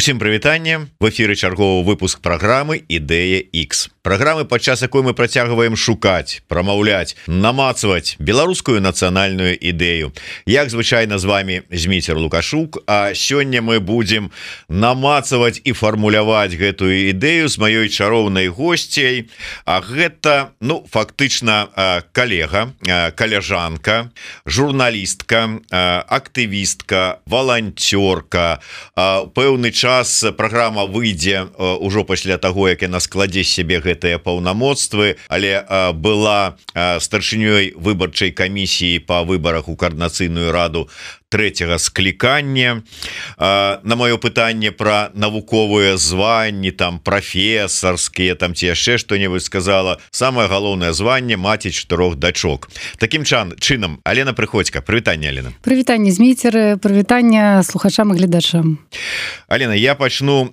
Усім прывітанне, в эфіры чарговы выпуск праграмы Ідэя X. Праграмы, падчас якой мы працягваем шукаць, прамаўляць, намацваць беларускую нацыянальную ідэю. Як звычайна з вами Зміцер Лукашук, а сёння мы будзем намацаваць і фармуляваць гэтую ідэю з маёй чароўнай госцяй. А гэта, фактычна калега, каляжанка, журналістка, актывістка, валанцёрка. Пэўны час праграма выйдзе ўжо пасля таго, як яна складзе сябе гэтыя паўнамоцтвы, але была старшынёй выбарчай камісіі па выбарах у Коордынацыйную раду трэцяга склікання. На маё пытанне пра навуковыя званні, там прафесарскія, там ці яшчэ што-небудзь сказала, самае галоўнае званне маці 4 дачок. Такім чынам, Алена Прыходзька, прывітанне, Алена. Прывітанне, Зміцер, прывітанне слухачам і гледачам. Алена, я пачну,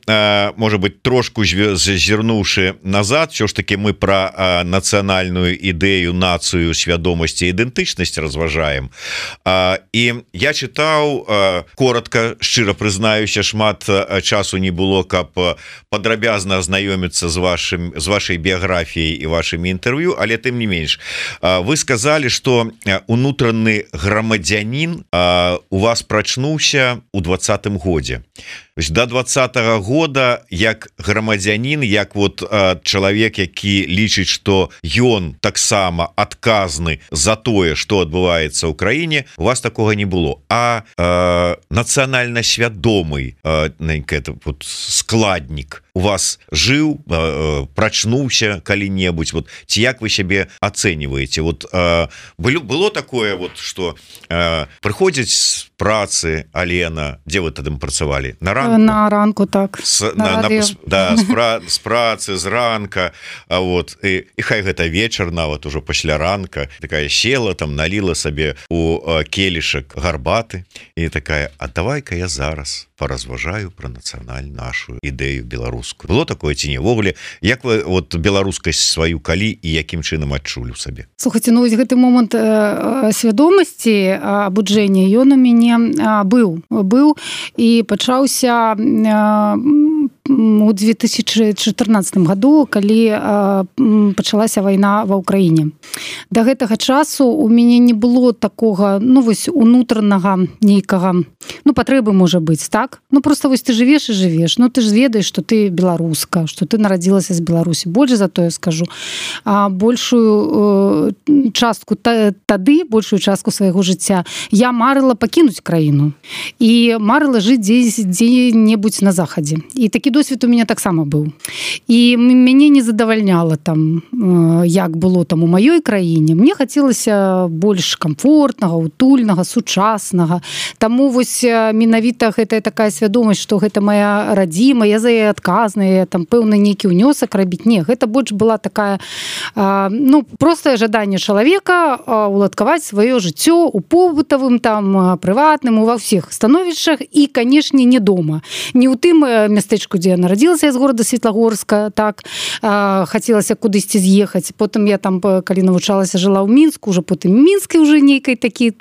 можа быть, трошку зазірнуўшы назад. Що ж таки мы пра нацыянальную ідэю, нацыю, свядомасць і ідэнтычнасць разважаем. І я чытаў, коротко, шчыра прызнаюся, шмат часу не было, каб падрабязна азнаёміцца з вашай біяграфіяй і вашымі інтэрв'ю, але тым не менш. Вы сказалі, што унутраны грамадзянін у вас прачнуўся ў 20-м годзе. До 20-го года як грамадзянін, як чалавек, які лічыць, што ён таксама адказны за тое, што адбываецца ў краіне, у вас такога не было. А нацыянальна свядомы складнік у вас жыў, прачнуўся калі-небудзь, ці як вы сябе ацэньваеце? Было такое, што прыходзіць з працы, Алена, дзе вы тады працавалі? На ранку? На ранку, так. З працы, з ранка, і хай гэта вечар нават ужо пасля ранка, такая села, там наліла сабе у келішак гарбаты і такая, а давай-ка я зараз паразважаю пра нацыянальную нашу ідэю беларускую. Было такое ці не? Ввогуле, як вы беларускасць сваю калі і якім чынам адчулі ў сабе? Слухайце, гэты момант свядомасці, абуджэння, ён у мяне быў і пачаўся у 2014 году, калі пачалася вайна ва ўкраіне. Да гэтага часу у мяне не было такога, унутранага нейкага, патрэбы можа быць, так? Просто ты жывеш і жывеш, ты ж ведаеш, што ты беларуска, што ты нарадзілася з Беларусі. Больш за тое скажу, большую частку большую частку свайго жыцця я марыла пакінуць краіну і марыла жыць дзе-небудзь на захадзе. І такі досвед у мяне таксама быў. І мяне не задавальняла там, як было там у маёй краіне. Мне хацелася больш камфортнага, утульнага, сучаснага. Таму менавіта гэтая такая свядомасць, што гэта моя радзіма, я за яе адказная, там пэўны нейкі ўнёсак рабіць. Не, гэта больш была такая простае жаданне чалавека уладкаваць сваё жыццё у побытавым, там прыватным, ва ўсіх становішчах і, канешне, не дома. Не ў тым мястэчку, дзе я нарадзілася, з горада Светлагорска, так, хацелася кудысьці з'ехаць. Потым я там, калі навучалася, жыла ў Мінску, уже потым Мінскі уже нейкай такі,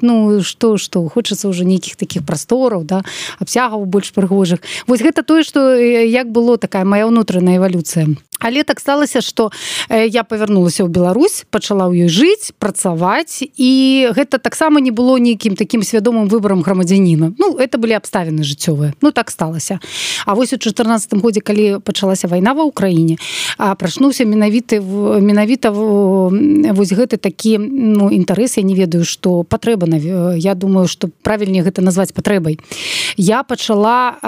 што, хочацца уже нейкіх такіх прастораў, да, абсягаў больш прыгожых. Гэта тое, што як было такая моя ўнутраная эвалюцыя. Але так сталася, што я павярнулася ў Беларусь, пачала ў ёй жыць, працаваць, і гэта таксама не было нейкім такім свядомым выбарам грамадзяніна. Это былі абставіны жыццёвыя. Так сталася. А у 2014 годзе, калі пачалася вайна ва ўкраіне, прачнуўся менавіта гэты такі інтарэс, я не ведаю, што патрэба, я думаю, што правільней гэта назваць патрэбай. Я пачала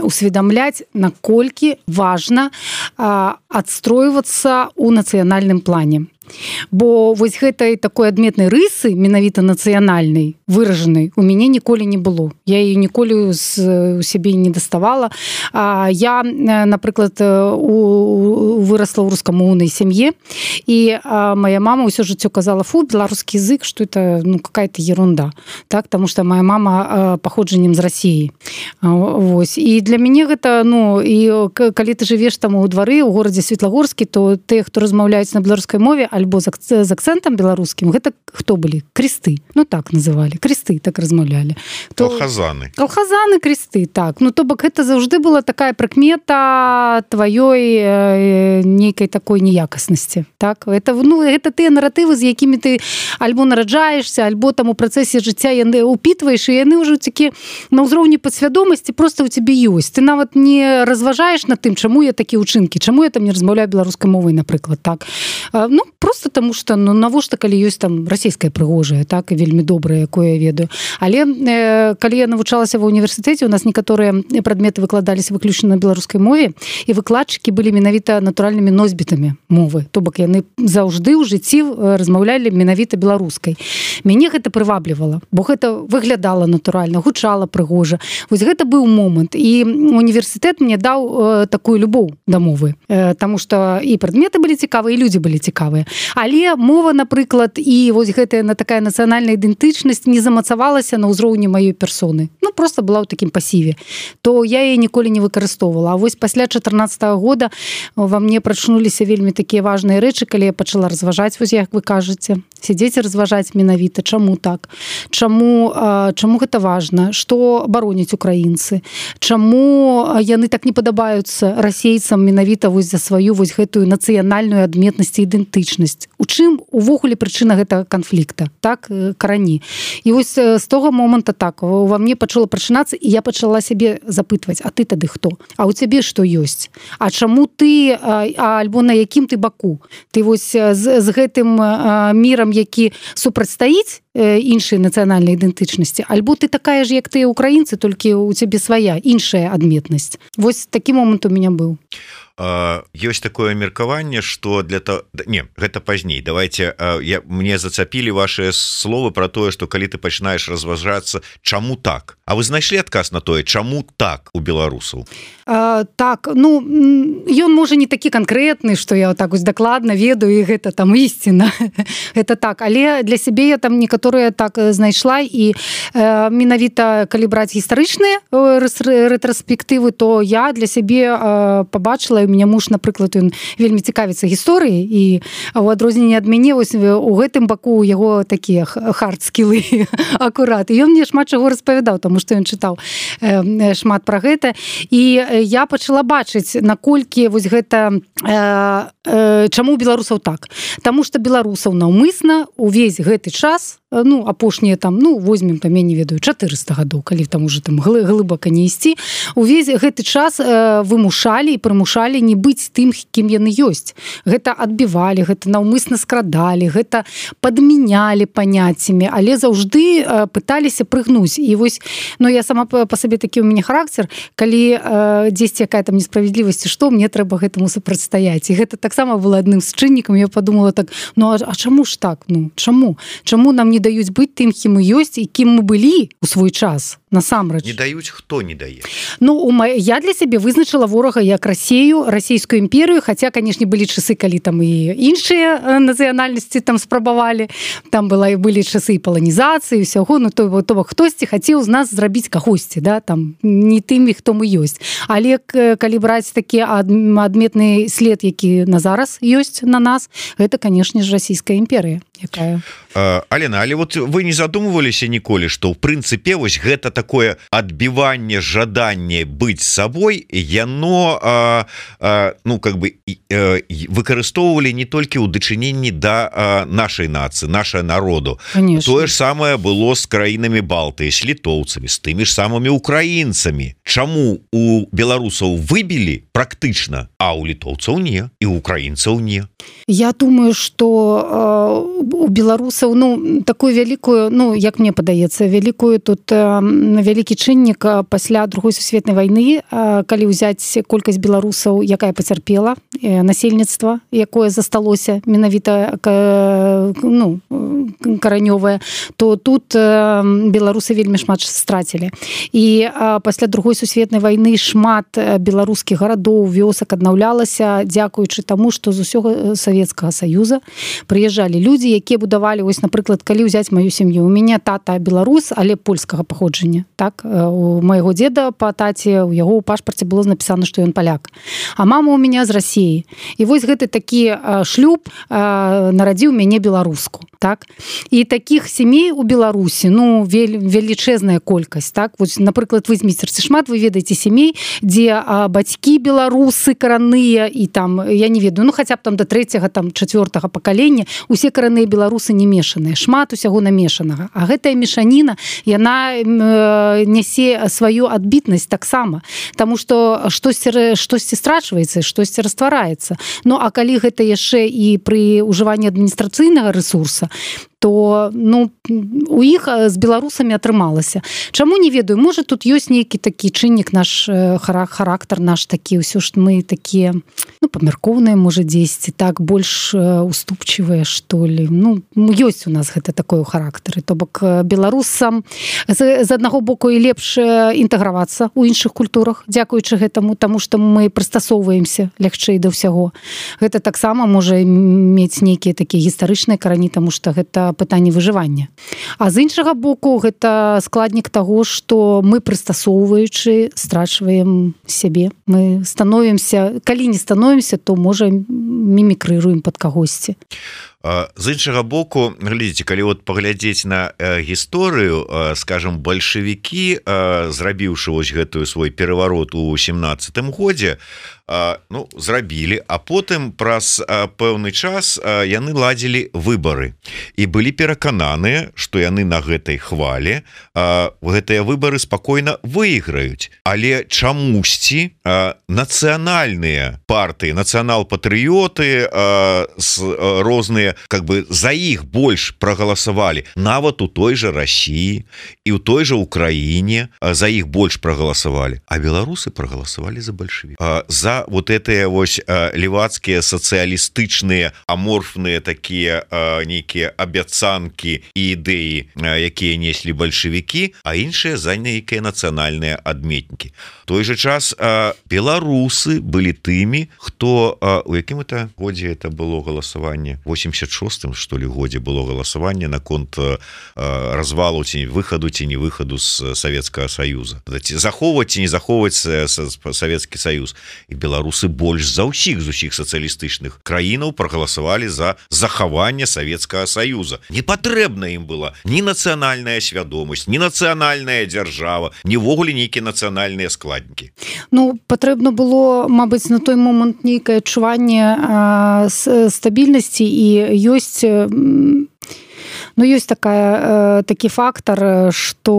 усведамляць, наколькі важна адстройвацца ў нацыянальным плане. Бо гэтай такой адметнай рысы, менавіта нацыянальнай, выражанай, у мяне ніколі не было. Я яе ніколі у сябе не даставала. Я, напрыклад, вырасла ў рускамоўнай сям'і, і моя мама ўсё жыццё казала, беларускі язык, што это какая-то ерунда. Так, таму што моя мама паходжаннем з Расіі. І для мяне гэта, і калі ты жывеш там у двары, у горадзе Светлагорскі, то тыя, хто размаўляюць на беларускай мове, альбо з акцэнтам беларускім, гэта хто былі? Кресты. Ну так называлі. Кресты так размаўлялі. Калхазаны. Калхазаны, кресты, так. Ну то бок гэта заўжды была такая прыкмета тваёй нейкай такой неякаснасці. Так? Гэта тыя наратывы, з якімі ты альбо нараджаешься, альбо там у працэсе жыцця яны упітваеш, і яны ўжо такі на ўзроўні падсвядомасці просто ў цябе ёсць. Ты нават не разважаеш над тым, чаму я такія ўчынкі, чаму я там не размаўляю беларускай мовай, напрыклад, так. Ну, просто таму што, ну, навошта, калі ёсць там расійская прыгожая, так, і вельмі добрая, якое я ведаю. Але калі я навучалася ва універсітэце, у нас некаторыя прадметы выкладаліся выключна на беларускай мове, і выкладчыкі былі менавіта натуральнымі носьбітамі мовы. То бок яны заўжды ў жыцці размаўлялі менавіта беларускай. Мяне гэта прываблівала, бо гэта выглядала натуральна, гучала прыгожа. Вось гэта быў момант. І універсітэт мне даў такую любоў да мовы. Таму што і прадметы былі цікавыя, і людзі былі цікавыя. Але мова, напрыклад, і вось гэтая такая нацыянальная ідэнтычнасць не замацавалася на ўзроўні маёй персоны. Ну, просто была ў такім пасіве. То я яе ніколі не выкарыстоўвала. А вось пасля 14-го года ва мне прачнуліся вельмі такія важныя рэчы, калі я пачала разважаць, вось як вы кажаце, сядзець і разважаць менавіта, чаму так, чаму гэта важна, што бароняць украінцы, чаму яны так не падабаюцца расейцам менавіта вось за сваю вось гэтую нацыянальную адметнасць і ідэнтычнасць. У чым увогуле прычына гэтага канфлікта, так, карані. І вось з того момента так, ва мне пачало прачынацца, і я пачала сябе запытваць, а ты тады хто? А ў цябе што ёсць? А чаму ты, альбо на якім ты баку? Ты вось з гэтым мірам, які супрацьстаіць іншай нацыянальнай ідэнтычнасці, альбо ты такая ж, як тыя украінцы, толькі ў цябе свая, іншая адметнасць. Вось такі момант у меня быў. Ёсць такое меркаванне, што для того... Не, гэта пазней. Давайте, мне зацапілі ваши словы про тое, што калі ты пачынаеш разважацца, чаму так? А вы знайшлі адказ на тое, чаму так у беларусаў? Так, ну, ён можа не такі канкрэтны, што я так вось дакладна ведаю, і гэта там ісціна. Гэта так, але для сябе я там некаторыя так знайшла, і менавіта, калі браць гістарычныя рэтраспектывы, то я для сябе пабачыла, у меня муж, напрыклад, ён вельмі цікавіцца гісторыяй, і у адрозненне ад мяне вось у гэтым баку яго такія хард-скілы акурат. І ён мне шмат чаго распавядаў, таму што ён чытаў шмат пра гэта. І я пачала бачыць, наколькі вось гэта чаму у беларусаў так. Таму што беларусаў наўмысна увесь гэты час, ну, апошнія там, ну, возьмем там, я не ведаю, 400 гадоў, калі там уже там глыбака не ісці, увесь гэты час вымушалі і прымушалі не быць тым, кім яны ёсць. Гэта адбівалі, гэта наўмысна скрадалі, гэта падмянялі паняццямі, але заўжды пыталіся прыгнуць. І вось, ну, я сама па сабе такі у мяне характер, калі дзесьці якая там несправядлівасць, што мне трэба гэтаму супрацьстаяць. І гэта таксама было адным з чыннікам. Я подумала так, ну, а чаму ж так? Ну, чаму? Чаму нам не даюць быць тым, кім мы ёсць і кім мы былі ў свой час? Насамрэч. Не даюць, хто не дае? Ну, я для сябе вызначыла ворага як Расею, расійскую імперыю, хаця, канешне, былі часы, калі там і іншыя нацыянальнасці там спрабавалі, там былі часы паланізацыі, ўсяго, ну, то бок хтосьці хацеў з нас зрабіць кагосьці, да, там, не тымі, хто мы ёсць. Але калі браць такі адметны след, які на зараз ёсць на нас, гэта, канешне ж, расійская імперыя. Якая? Алена, але вот вы не задумываліся ніколі, што ў прынцыпе вось гэта такое адбіванне жаданне быць сабой, яно ну как бы выкарыстоўвалі не толькі ў дачыненні да нашай нацыі, нашай народу. Конечно. Тое ж самае было з краінамі Балтыі, з літоўцамі, з тымі ж самымі украінцамі. Чаму у беларусаў выбілі практычна, а у літоўцаў не, і у украінцаў не? Я думаю, што у беларусаў, ну, такую вялікую, ну, як мне падаецца, вялікую тут вялікі чыннік пасля Другой сусветнай вайны, калі ўзяць колькасць беларусаў, якая пацярпела, насельніцтва, якое засталося менавіта, ну, каранёвае, то тут беларусы вельмі шмат страцілі. І пасля Другой сусветнай вайны шмат беларускіх гарадоў, вёсак аднаўлялася, дзякуючы таму, што з усёга Савецкага Саюза прыязджалі людзі, якія будавалі, вось, напрыклад, калі ўзяць маю сям'ю. У мяне тата беларус, але польскага паходжання. паходжання. Так, у майго деда па таце, у яго ў пашпарце было напісана, што ён паляк. А мама у меня з Расіі. І вось гэты такі шлюб нарадзіў мяне беларуску. Так? І такіх сямей у Беларусі, ну, велічэзная колькасць. Так? Вось, напрыклад, возьміце шмат, вы ведаеце сямей, дзе бацькі беларусы каранныя, і там, я не ведаю, ну, хаця б там да 3-го, там, 4-го пакалення, усе каранныя беларусы не мешаныя, шмат усяго намешанага. А гэтая мешаніна, яна нясе сваю адбітнасць таксама, таму што штосьці страчваецца, штосьці раствараецца. Ну, а калі гэта яшчэ і пры ўжыванні адміністрацыйнага рэсурса, то ну, у іх з беларусамі атрымалася. Чаму не ведаю, можа тут ёсць нейкі такі чыннік, наш характар наш такі, ўсё ж мы такія, ну, памяркоўныя, можа, дзесьці, так, больш уступчывыя, што ли. Ну, ёсць у нас гэта такое ў характары. То бок беларусам з аднаго боку і лепш інтэгравацца ў іншых культурах, дзякуючы гэтаму, таму што мы прыстасоўваемся лягчэй да ўсяго. Гэта таксама можа мець нейкія такія гістарычныя карані, таму што гэта пытанне выжывання. А з іншага боку, гэта складнік таго, што мы прыстасоўваючы страчваем сябе. Мы становімся, калі не становімся, то можа мімікрыруем пад кагосьці. З іншага боку, глядзіце, калі вот паглядзець на гісторыю, скажем, бальшавікі, зрабіўшы вось гэтую свой пераварот у 17-м годзе, ну, зрабілі, а потым праз пэўны час яны ладзілі выбары і былі перакананыя, што яны на гэтай хвале гэтыя выбары спакойна выйграюць. Але чамусьці нацыянальныя партыі, нацыянал-патрыёты розныя, как бы за іх больш прагаласавалі, нават у той жа Расіі і ў той жа Украіне за іх больш прагаласавалі, а беларусы прагаласавалі за бальшавік. За вот этыя вось левацкія сацыялістычныя аморфныя такія нейкія абяцанкі і ідэі, якія неслі бальшавікі, а іншыя за нейкія нацыянальныя адметнікі. Той же час беларусы былі тымі, хто у якім это годзе это было галасаванне, 86-м, что ли, годзе было галасаванне наконт развалу ці выхаду ці не выхаду з Савецкага Саюза. Захоўваць ці не захоўваць Савецкі Саюз. І беларусы больш за ўсіх з усіх сацыялістычных краінаў прагаласавалі за захаванне Савецкага Саюза. Не патрэбна ім была ні нацыянальная свядомасць, ні нацыянальная дзяржава, нівогуле нейкія нацыянальныя складнікі. Ну, патрэбна было, мабыць, на той момант нейкае адчуванне стабільнасці, і ёсць, ну, ёсць такі фактар, што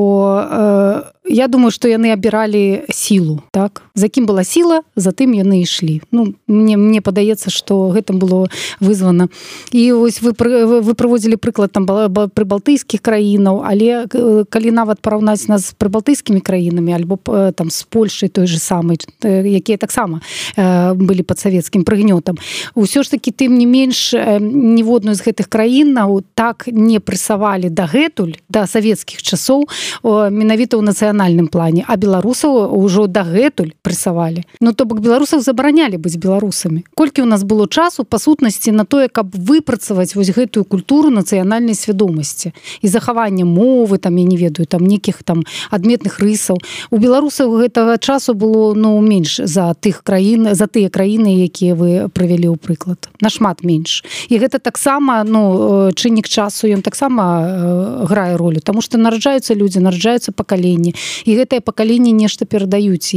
я думаю, што яны абіралі сілу, так? За кім была сіла, за тым яны ішлі. Ну, мне падаецца, што гэта было вызвана. І вось вы прыводзілі прыклад там прыбалтыйскіх краінаў, але калі нават параўнаць нас з прыбалтыйскімі краінамі, альбо там з Польшай той же самай, якія таксама былі пад савецкім прыгнётам, усё ж такі, тым не менш, ніводную з гэтых краінаў так не прысавалі дагэтуль, да савецкіх часоў, менавіта ў нацыянальным плане, а беларусаў ўжо дагэтуль прысавалі. Ну, то бок беларусаў забаранялі быць беларусамі. Колькі ў нас было часу, па сутнасці, на тое, каб выпрацаваць вось гэтую культуру нацыянальнай свядомасці і захавання мовы, там, я не ведаю, там, нейкіх там адметных рысаў. У беларусаў гэтага часу было, ну, менш за тых краін, за тыя краіны, якія вы прывялі ў прыклад. Нашмат менш. І гэта таксама, ну, чыннік часу, ён таксама грае ролю, таму што нараджаюцца людзі, нараджаюцца пакаленні, і гэтае пакаленне нешта перадаюць.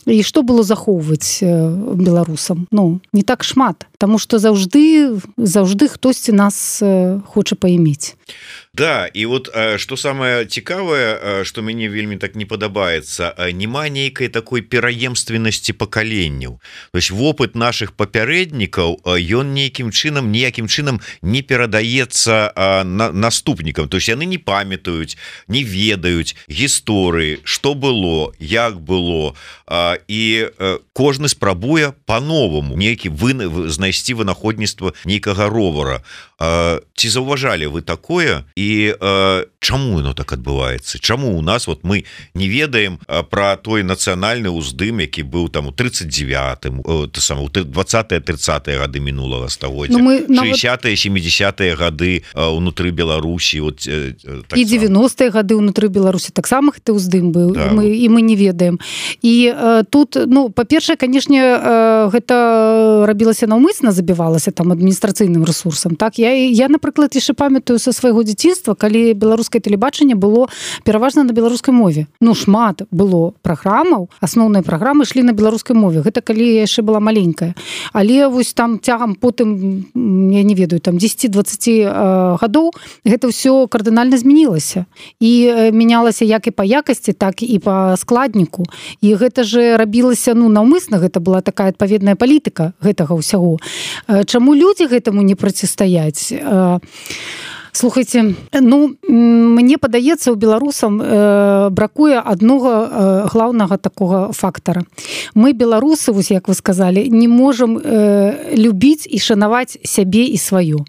І што было захоўваць беларусам? Ну, не так шмат, таму што заўжды хтосьці нас хоча паімець. Да, і вот што самае цікавае, што мяне вельмі так не падабаецца, няма нейкай такой пераемственнасці пакаленняў. То есть вопыт нашых папярэднікаў, ён ніякім чынам не перадаецца наступнікам. То есть яны не памятаюць, не ведаюць гісторыі, што было, як было, і кожны спрабуе па-новаму нейкі знайсці вынаходніцтва нейкага ровара. Ці заўважалі вы такое? І чаму оно так адбываецца, чаму у нас вот мы не ведаем про той нацыянальны ўздым, які быў там у 39-м, 20-30 гады мінулага стагоддзя, 60-е 70-е гады унутры Беларусі, вот, і 90-е гады унутры Беларусі таксама гэты ўздым быў, да. і мы не ведаем. І тут, ну, па-першае, канешне, гэта рабілася наўмысна, забівалася там адміністрацыйным ресурсам. Так, я напрыклад, яшчэ памятаю са свайго дзяцінства, калі беларускае тэлебачанне было пераважна на беларускай мове. Ну, шмат было праграмаў, асноўныя праграмы ішлі на беларускай мове. Гэта калі я яшчэ была маленькая. Але вось там цягам потым, я не ведаю, там 10-20 гадоў гэта ўсё кардынальна змянілася. І мянялася як і па якасці, так і па складніку. І гэта же рабілася, ну, наўмысна, гэта была такая адпаведная палітыка гэтага ўсяго. Чаму людзі гэтаму не процістаяць? Слухайте, ну, мне падаецца, у беларусам бракуе аднога глаўнага такога фактара. Мы, беларусы, вось як вы сказалі, не можам любіць і шанаваць сябе і сваё.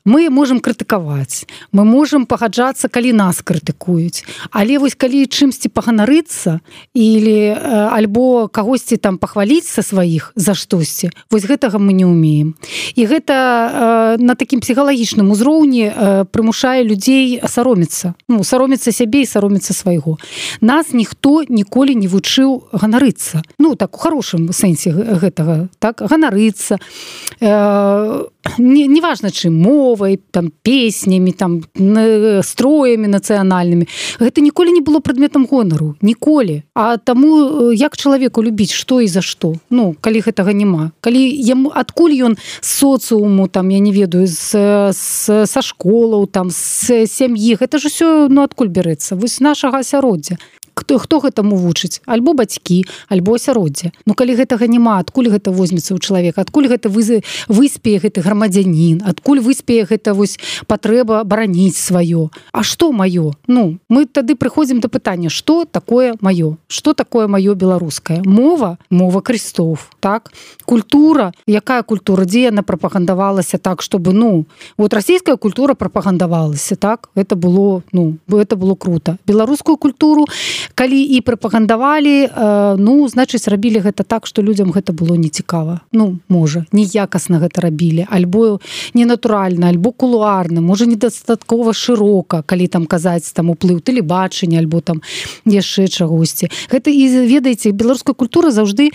Мы можам крытыкаваць, мы можам пагаджацца, калі нас крытыкуюць. Але вось калі чымсьці паганарыцца или альбо кагосьці там пахваліць са сваіх за штосьці, вось гэтага мы не ўмеем. І гэта на такім псіхалагічным узроўні прымушае людзей саромецца. Ну, саромецца сябе і саромецца свайго. Нас ніхто ніколі не вучыў ганарыцца. Ну, так, у хорошым сэнсе гэтага. Так, ганарыцца. Неважна, чым, мовай, там, песнямі, там, строямі нацыянальнымі. Гэта ніколі не было прадметам гонару. Ніколі. А таму, як чалавеку любіць, што і за што? Ну, калі гэтага няма. Калі яму, адкуль ён з соцыуму, там, я не ведаю, са школаў, там, з сям'і, гэта ж усё, ну, адкуль бярэцца? Вось нашага асяроддзя. Хто гэтаму вучыць? Альбо бацькі, альбо асяроддзе. Ну, калі гэтага няма, адкуль гэта возьмецца ў чалавека? Адкуль гэта выспее гэты грамадзянін? Адкуль выспее гэта вось патрэба бараніць сваё? А што маё? Ну, мы тады прыходзім да пытання, што такое маё? Што такое маё беларускае? Мова? Мова крыстоў, так? Культура? Якая культура? Дзе яна прапагандавалася так, чтобы, ну, вот расійская культура прапагандавалася, так? Это было, ну, это было круто. Беларускую культуру калі і прапагандавалі, ну, значыць, рабілі гэта так, што людзям гэта было нецікава. Ну, можа, неякасна гэта рабілі, альбо ненатуральна, альбо кулуарна, можа, недастаткова шырока, калі там казаць там уплыў тэлебачання, альбо там яшчэ чагосьці. Гэта, і ведаеце, беларуская культура заўжды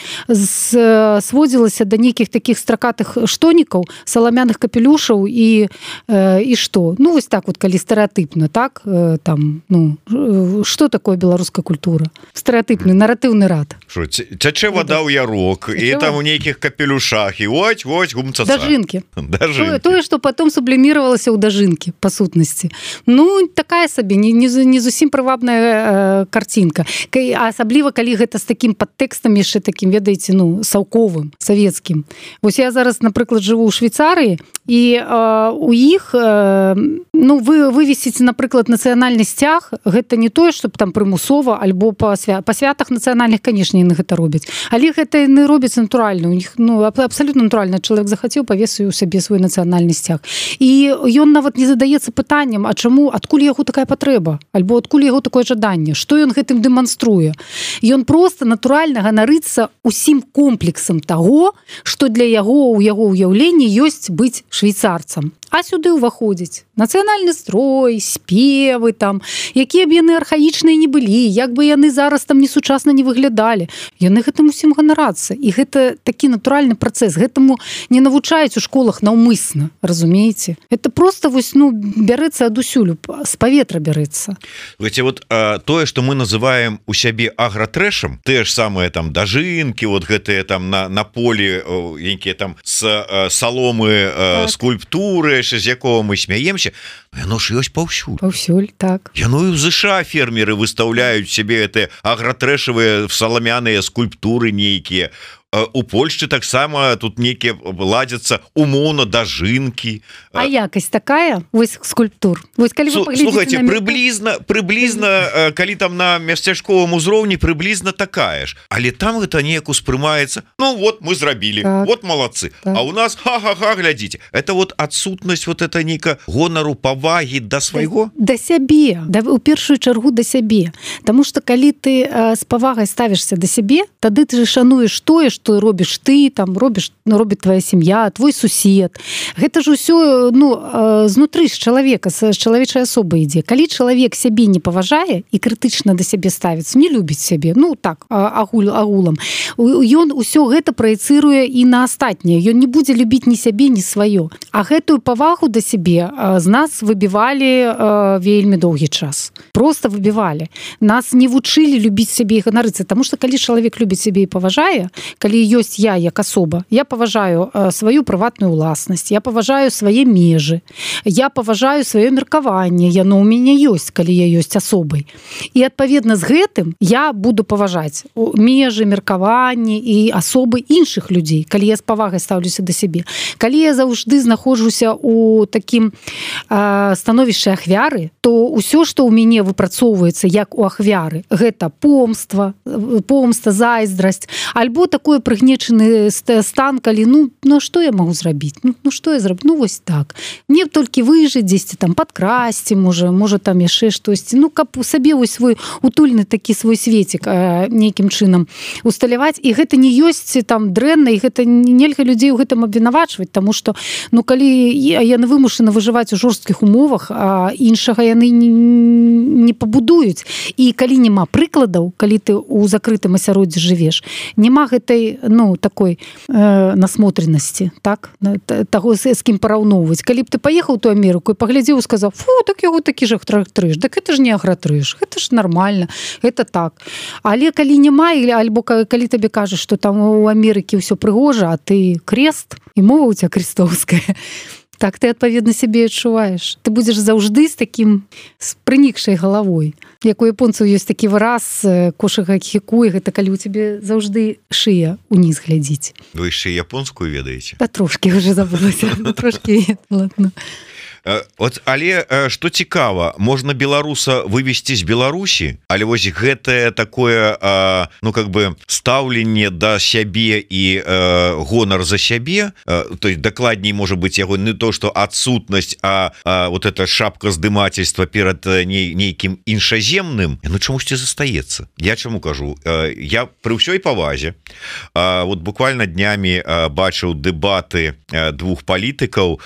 сводзілася да нейкіх такіх стракатых штонікаў, саламяных капелюшаў і што? Ну, вось так вот, калі стэрэатыпна, так? Там, ну, што такое беларуская культура? Стэрэатыпны, наратыўны рад. Шо, цячэ вада ў ярок, і там у нейкіх капелюшах, і ось, гумцаца. Дажынкі. Тое, што потом субліміравалася ў дажынкі, па сутнасці. Ну, такая сабе, не зусім прывабная карцінка. Асабліва, калі гэта з такім падтэкстам, яшчэ такім, ведаеце, ну, саўковым, савецкім. Вось я зараз, напрыклад, жыву ў Швейцарыі, і у іх, ну, вывесіць, напрыклад, нацыянальны сцяг, гэта не тое, што там прымусова, альбо па святах нацыянальных, канешне, яны гэта робяць. Але гэта яны робяць натуральна. У них, ну, абсалютна натуральна. Чалавек захацеў, павесіў у сабе свой нацыянальны сцяг. І ён нават не задаецца пытаннем, а чаму, адкуль яго такая патрэба? Альбо адкуль яго такое жаданне? Што ён гэтым дэманструе? Ён проста натуральна ганарыцца усім комплексам таго, што для яго, у яго ўяўленні ёсць быць швейцарцам. А сюды ўваходзіць нацыянальны строй, спевы там, якія б яны архаічныя не былі, як бы яны зараз там несучасна не выглядалі. Яны гэтым усім ганарацца. І гэта такі натуральны працэс. Гэтаму не навучаюць у школах наўмысна, разумееце? Это просто вось, ну, бярэцца адусюль, з паветра бярэцца. Ведь вот тое, што мы называем у сябе агратрэшам, тыя ж самыя там дажынкі, вот гэтыя там на полі, якія там з саломы, скульптуры, з якого мы смяемся, яно ж ёсць паўсюль. Паўсюль, так. Яно і ў ЗША фермеры выстаўляюць себе гэтыя агратрэшавыя саламяныя скульптуры нейкія. у Польшчы таксама тут нейкія ладзяцца умоўна дажынкі. А якасць такая вось скульптур. Вось калі вы слухайте, прыблізна калі там на мясцячковым узроўні прыблізна такая ж, але там гэта неяк успрымаецца. Ну вот мы зрабілі, так, вот молодцы, так. А у нас ха-ха-ха, глядзіце, это вот адсутнасць вот это нейка гонару, павагі да свайго, да сябе, у першую чаргу да сябе. Таму што калі ты з павагай ставішся да сябе, тады ты же шануеш тое, што робіш ты, там робіць твоя сям'я, твой сусед. Гэта ж усё знутры з чалавека, з чалавечай асобы ідзе. Калі чалавек сябе не паважае і крытычна да сябе ставіцца, не любіць сябе, так, агулам, ён усё гэта праецыруе і на астатняе. Ён не будзе любіць ні сябе, ні сваё. А гэтую павагу да сябе з нас выбівалі вельмі доўгі час. Просто выбівалі. Нас не вучылі любіць сябе і ганарыцца, таму што калі чалавек любіць сябе і паважае, калі ёсць я як асоба, я паважаю сваю прыватную ўласнасць, я паважаю свае межы, я паважаю сваё меркаванне, яно ў мяне ёсць, калі я ёсць асобай. І адпаведна з гэтым я буду паважаць межы, меркаванні і асобы іншых людзей, калі я з павагай стаўлюся да сябе. Калі я заўжды знаходжуся ў такім становішчы ахвяры, то ўсё, што ў мяне выпрацоўваецца як у ахвяры, гэта помста, зайздрасць, альбо такой прыгнечаны стан, калі што я магу зрабіць? Што я зраблю? Вось так. Мне толькі выжыць дзесьці там падкрасці, можа там яшчэ штосьці. Каб у сабе вось свой утульны такі свой светик нейкім чынам усталяваць. І гэта не ёсць там дрэнна, і гэта нельга людзей у гэтым абвінавачваць, таму што калі яны вымушаны выжываць у жорсткіх умовах, іншага яны не пабудуюць. І калі няма прыкладаў, калі ты ў закрытым асяроддзі жывеш, няма гэтай такой насмотренасці, так, таго, з кім параўноўваць. Калі б ты паехаў у ту Амерыку і паглядзеў і сказаў: фу, так яго такі ж агратрыж, так гэта ж не агратрыж, гэта ж нармальна, гэта так. Але калі няма, альбо калі табе кажаш, што там у Амерыкі ўсё прыгожа, а ты крест, і мова ў цябе крестовская, так ты адпаведна сябе адчуваеш. Ты будзеш заўжды з такім прынікшай галавой. Як у японцаў ёсць такі выраз кошага хікуй, гэта калі ў цябе заўжды шыя уніз глядзіць. Вы яшчэ японскую ведаеце? Да трошкі уже забылася, трошкі, ладно. Але што цікава, можна беларуса вывесці з Беларусі, але вось гэтае такое стаўленне да сябе і гонар за сябе, то есть дакладней можа быць яго не то, што адсутнасць, а вот эта шапка здымательства перад нейкім іншаземным, чамусьці застаецца. Я чаму кажу? Я пры ўсёй павазе вот буквально днямі бачыў дэбаты двух палітыкаў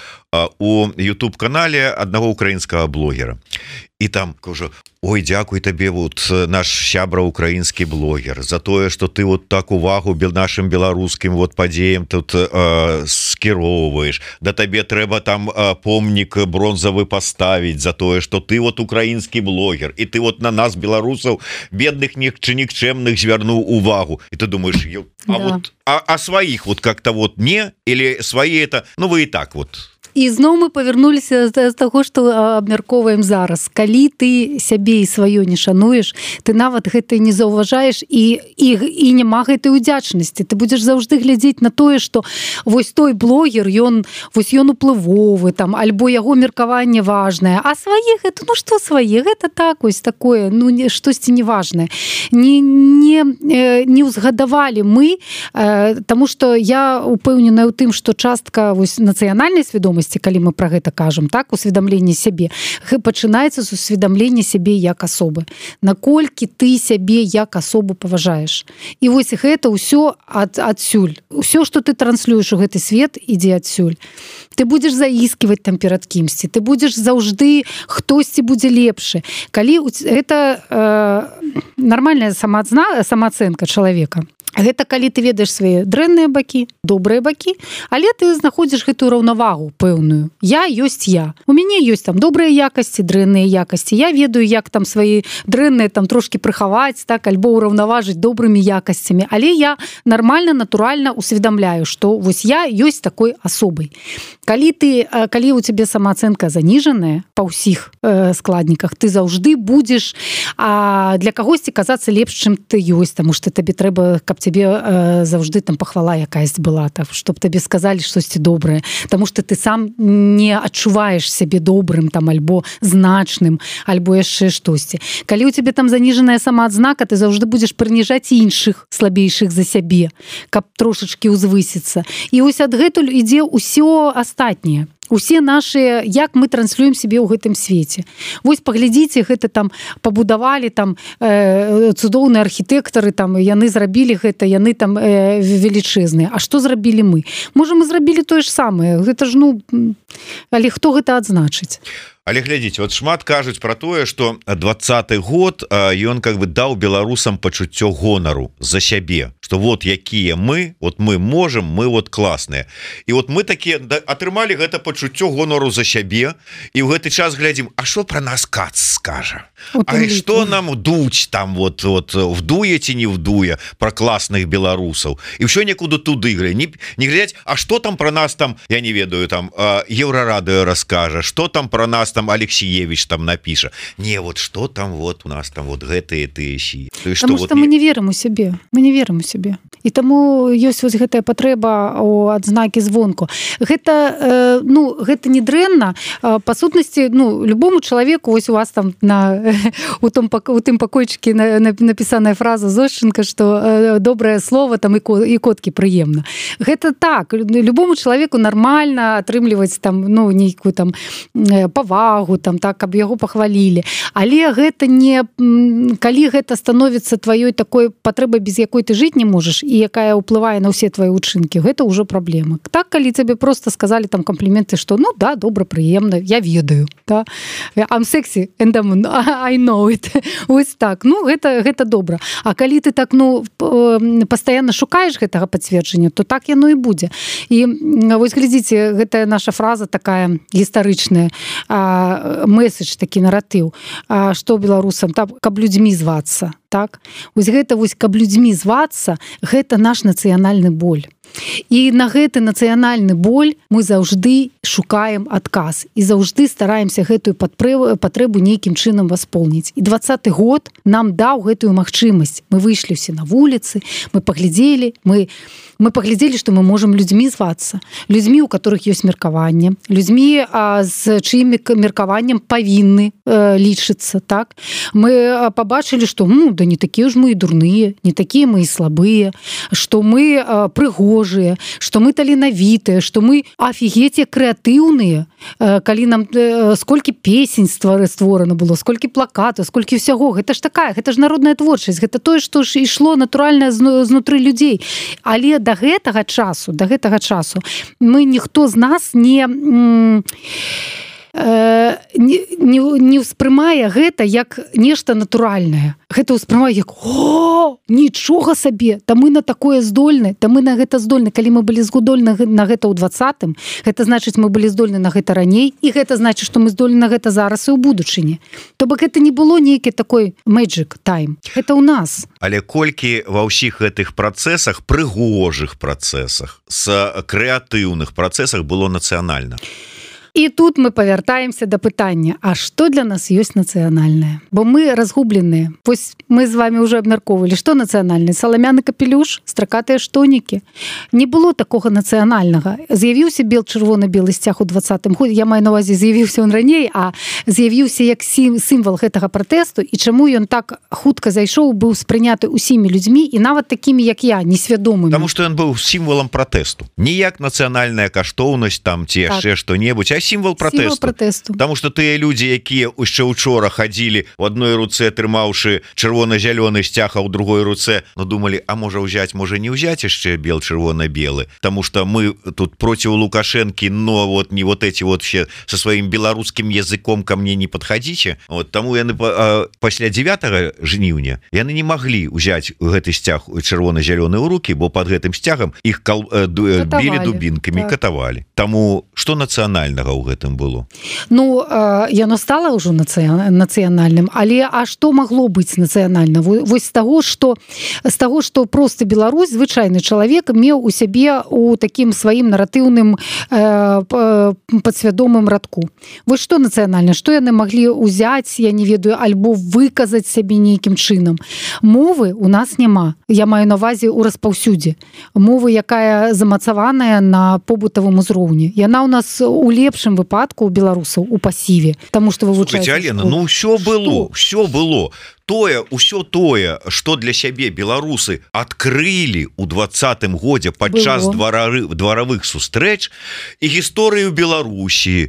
у YouTube-канале аднаго украінскага блогера. І там кажу: ой, дзякуй табе, вот наш сябра украінскі блогер, за тое, што ты вот так увагу нашим беларускім вот падзеям тут скіроўваеш. Да табе трэба там помнік бронзавы паставіць за тое, што ты вот украінскі блогер, і ты вот на нас, беларусаў, бедных чи нікчэмных, звярнуў увагу. І ты думаешь: а сваіх вот как-то вот не, или свои это, вы и так вот. І зноў мы павярнуліся з таго, што абмяркоўваем зараз. Калі ты сябе і сваё не шануеш, ты нават гэта не заўважаеш, і няма гэтай удзячнасці. Ты будзеш заўжды глядзець на тое, што вось той блогер, ён уплывовы, там, альбо яго меркаванне важнае, а свае гэта, што свае, гэта так, вось такое, штосьці неважнае. Не ўзгадавалі мы, таму што я упэўненая ў тым, што частка нацыянальнай свядомасці, калі мы пра гэта кажам, так, усведамленне сябе, пачынаецца з усведамлення сябе як асобы. Наколькі ты сябе як асобу паважаеш. І вось гэта ўсё адсюль. Усё, што ты транслюеш у гэты свет, ідзе адсюль. Ты будзеш заісківаць там перад кімсьці, ты будзеш заўжды, хтосьці будзе лепшы. Калі гэта нармальная самаацэнка чалавека. Гэта калі ты ведаеш свае дрэнныя бакі, добрыя бакі, але ты знаходзіш гэтую раўнавагу пэўную. Я ёсць я. У мяне ёсць там добрыя якасці, дрэнныя якасці. Я ведаю, як там свае дрэнныя там трошкі прыхаваць, так, альбо ўраўнаважыць добрымі якасцямі. Але я нармальна, натуральна усведамляю, што вось я ёсць такой асобай. калі у тебе самаацэнка заніжаная па ўсіх складніках, ты заўжды будзеш для кагосьці казацца лепш, чым ты ёсць, таму што табе трэба, каб тебе заўжды там пахвала якаясь была, так, чтоб табе сказалі штосьці добрае, таму што ты сам не адчуваеш сябе добрым там альбо значным, альбо яшчэ штосьці. Калі у тебе там заніжаная самаадзнака, ты заўжды будзеш прыніжаць іншых слабейшых за сябе, каб трошачкі ўзвысіцца. І вось адгэтуль ідзе ўсё астатняе. Усе наши, як мы транслюем себе ў гэтым свеце. Вось паглядзіце, гэта там пабудавалі там цудоўныя архітэктары, там яны зрабілі гэта, яны там велічэзныя. А што зрабілі мы? Можа, мы зрабілі тое ж самае. Гэта ж, але хто гэта адзначыць? Але глядзіце, вот шмат кажуць про тое, что 20-й год ён как бы даў беларусам пачуццё гонару за сябе, что вот якія мы можем, мы вот класныя. І вот мы такія атрымалі гэта пачуццё гонару за сябе, і ў гэты час глядзім, а што про нас Кац скажа? А што нам дуць там вот вдуе ці не вдуе про класных беларусаў? І ўсё некуды туды не глядзяць, а што там про нас там, я не ведаю, там Еўрарадыё раскажа, што там про нас там Алексеевич там напіша. Не, вот что там вот у нас там вот гэтые тыщи. Потому что мы не верим у сябе. Мы не верим у сябе. І таму ёсць вось гэтая патрэба у адзнакі звонку. Гэта, гэта не дрэнна. Па сутнасці, любому чалавеку, вось у вас там у тым пакойчыкі напісаная фраза Зощенко, што добрае слово там і коткі прыемна. Гэта так. Любому чалавеку нармальна атрымліваць там, нейкую там павагу, там, так, каб яго пахвалілі. Але гэта не... Калі гэта становіцца тваёй такой патрэбай, без якой ты жыць не можаш, і якая ўплывае на ўсе твои учынкі, гэта ўжо праблема. Так, калі тебе просто сказали там компліменты, што да, добра, прыемна, я ведаю, да? I'm sexy and I know it. Вось так. Гэта добра. А калі ты так, пастаянна шукаеш гэтага пацверджання, то так яно і будзе. І вось глядзіце, гэтая наша фраза такая гістарычная, месседж, такі наратыў, што беларусам, каб людзьмі звацца. Так? Вось гэта, каб людзьмі звацца, гэта наш нацыянальны боль. І на гэты нацыянальны боль мы заўжды шукаем адказ і заўжды стараемся гэтую патрэбу нейкім чынам васполніць. І 20-й год нам даў гэтую магчымасць. Мы выйшлі ўсе на вуліцы, мы паглядзелі, што мы можам людзьмі звацца, людзьмі, у которых ёсць меркаванне, людзьмі, з чыім меркаваннем павінны лічыцца. Так? Мы пабачылі, што да не такія ж мы і дурныя, не такія мы і слабыя, што мы прыгожыя, што мы таленавітыя, што мы афігеце крэатыўныя, калі нам сколькі песень створана было, сколькі плакатаў, сколькі ўсяго. Гэта ж народная творчасць, гэта тое, што ж ішло натуральна знутры людзей. Але да гэтага часу мы ніхто з нас не ўспрымае гэта як нешта натуральнае. Гэта ўспрымае як нічога сабе, та мы на такое здольны, та мы на гэта здольны. Калі мы былі здольны на гэта ў 20-м, гэта значыць, мы былі здольны на гэта раней, і гэта значыць, што мы здольны на гэта зараз і ў будучыні. То бок гэта не было нейкі такой magic time. Гэта ў нас. Але колькі ва ўсіх гэтых працэсах, прыгожых працэсах, з крэатыўных працэсах было нацыянальна? І тут мы павяртаемся да пытання, а што для нас ёсць нацыянальнае? Бо мы разгубленыя. Вось мы з вами ўжо абмяркоўвалі, што нацыянальнае? Саламяны капелюш, стракатыя штонікі. Не было такога нацыянальнага. З'явіўся чырвона-белы сцяг у 20-м годзе. Я маю на ўвазе, з'явіўся ён раней, а з'явіўся як сімвал гэтага пратэсту, і чаму ён так хутка зайшоў, быў спрыняты ўсімі людзьмі, і нават такімі, як я, несвядомымі. Таму што ён быў сімвалам пратэсту. Не як нацыянальная каштоўнасць там ці яшчэ што-небудзь, а сімвал пратэсту. Таму што тыя людзі, якія яшчэ учора хадзілі у адной руцэ, трымаўшы чырвона-зялёны сцяг, а ў другой руцэ, думалі, а можа ўзяць, можа не ўзяць яшчэ чырвона-белы, таму што мы тут проціў Лукашэнкі, но вот не вот эти вот все со сваім беларускім языком ко мне не падхадзіце. Вот таму яны пасля 9 жніўня яны не маглі ўзяць гэты сцяг чырвона-зялёны ў рукі, бо под гэтым сцягам іх білі дубінкамі, катавалі. Таму што нацыянальнага ў гэтым было? Ну, яно стала ўжо нацыянальным, але а што магло быць нацыянальна? Вось з таго, што просты беларус, звычайны чалавек меў у сябе у такім сваім наратыўным падсвядомым радку. Вось што нацыянальна? Што яны маглі ўзяць, я не ведаю, альбо выказаць сябе нейкім чынам? Мовы у нас няма. Я маю на ўвазе ў распаўсюдзе. Мовы, якая замацаваная на побытавым узроўні. Яна ў нас у лепшым выпадку у беларусаў у пасіве, таму што вывучаецца. Алена, ну ўсё было. Усё тое, што для сябе беларусы адкрылі ў 20-м годзе падчас дваравых сустрэч і гісторыю Беларусі.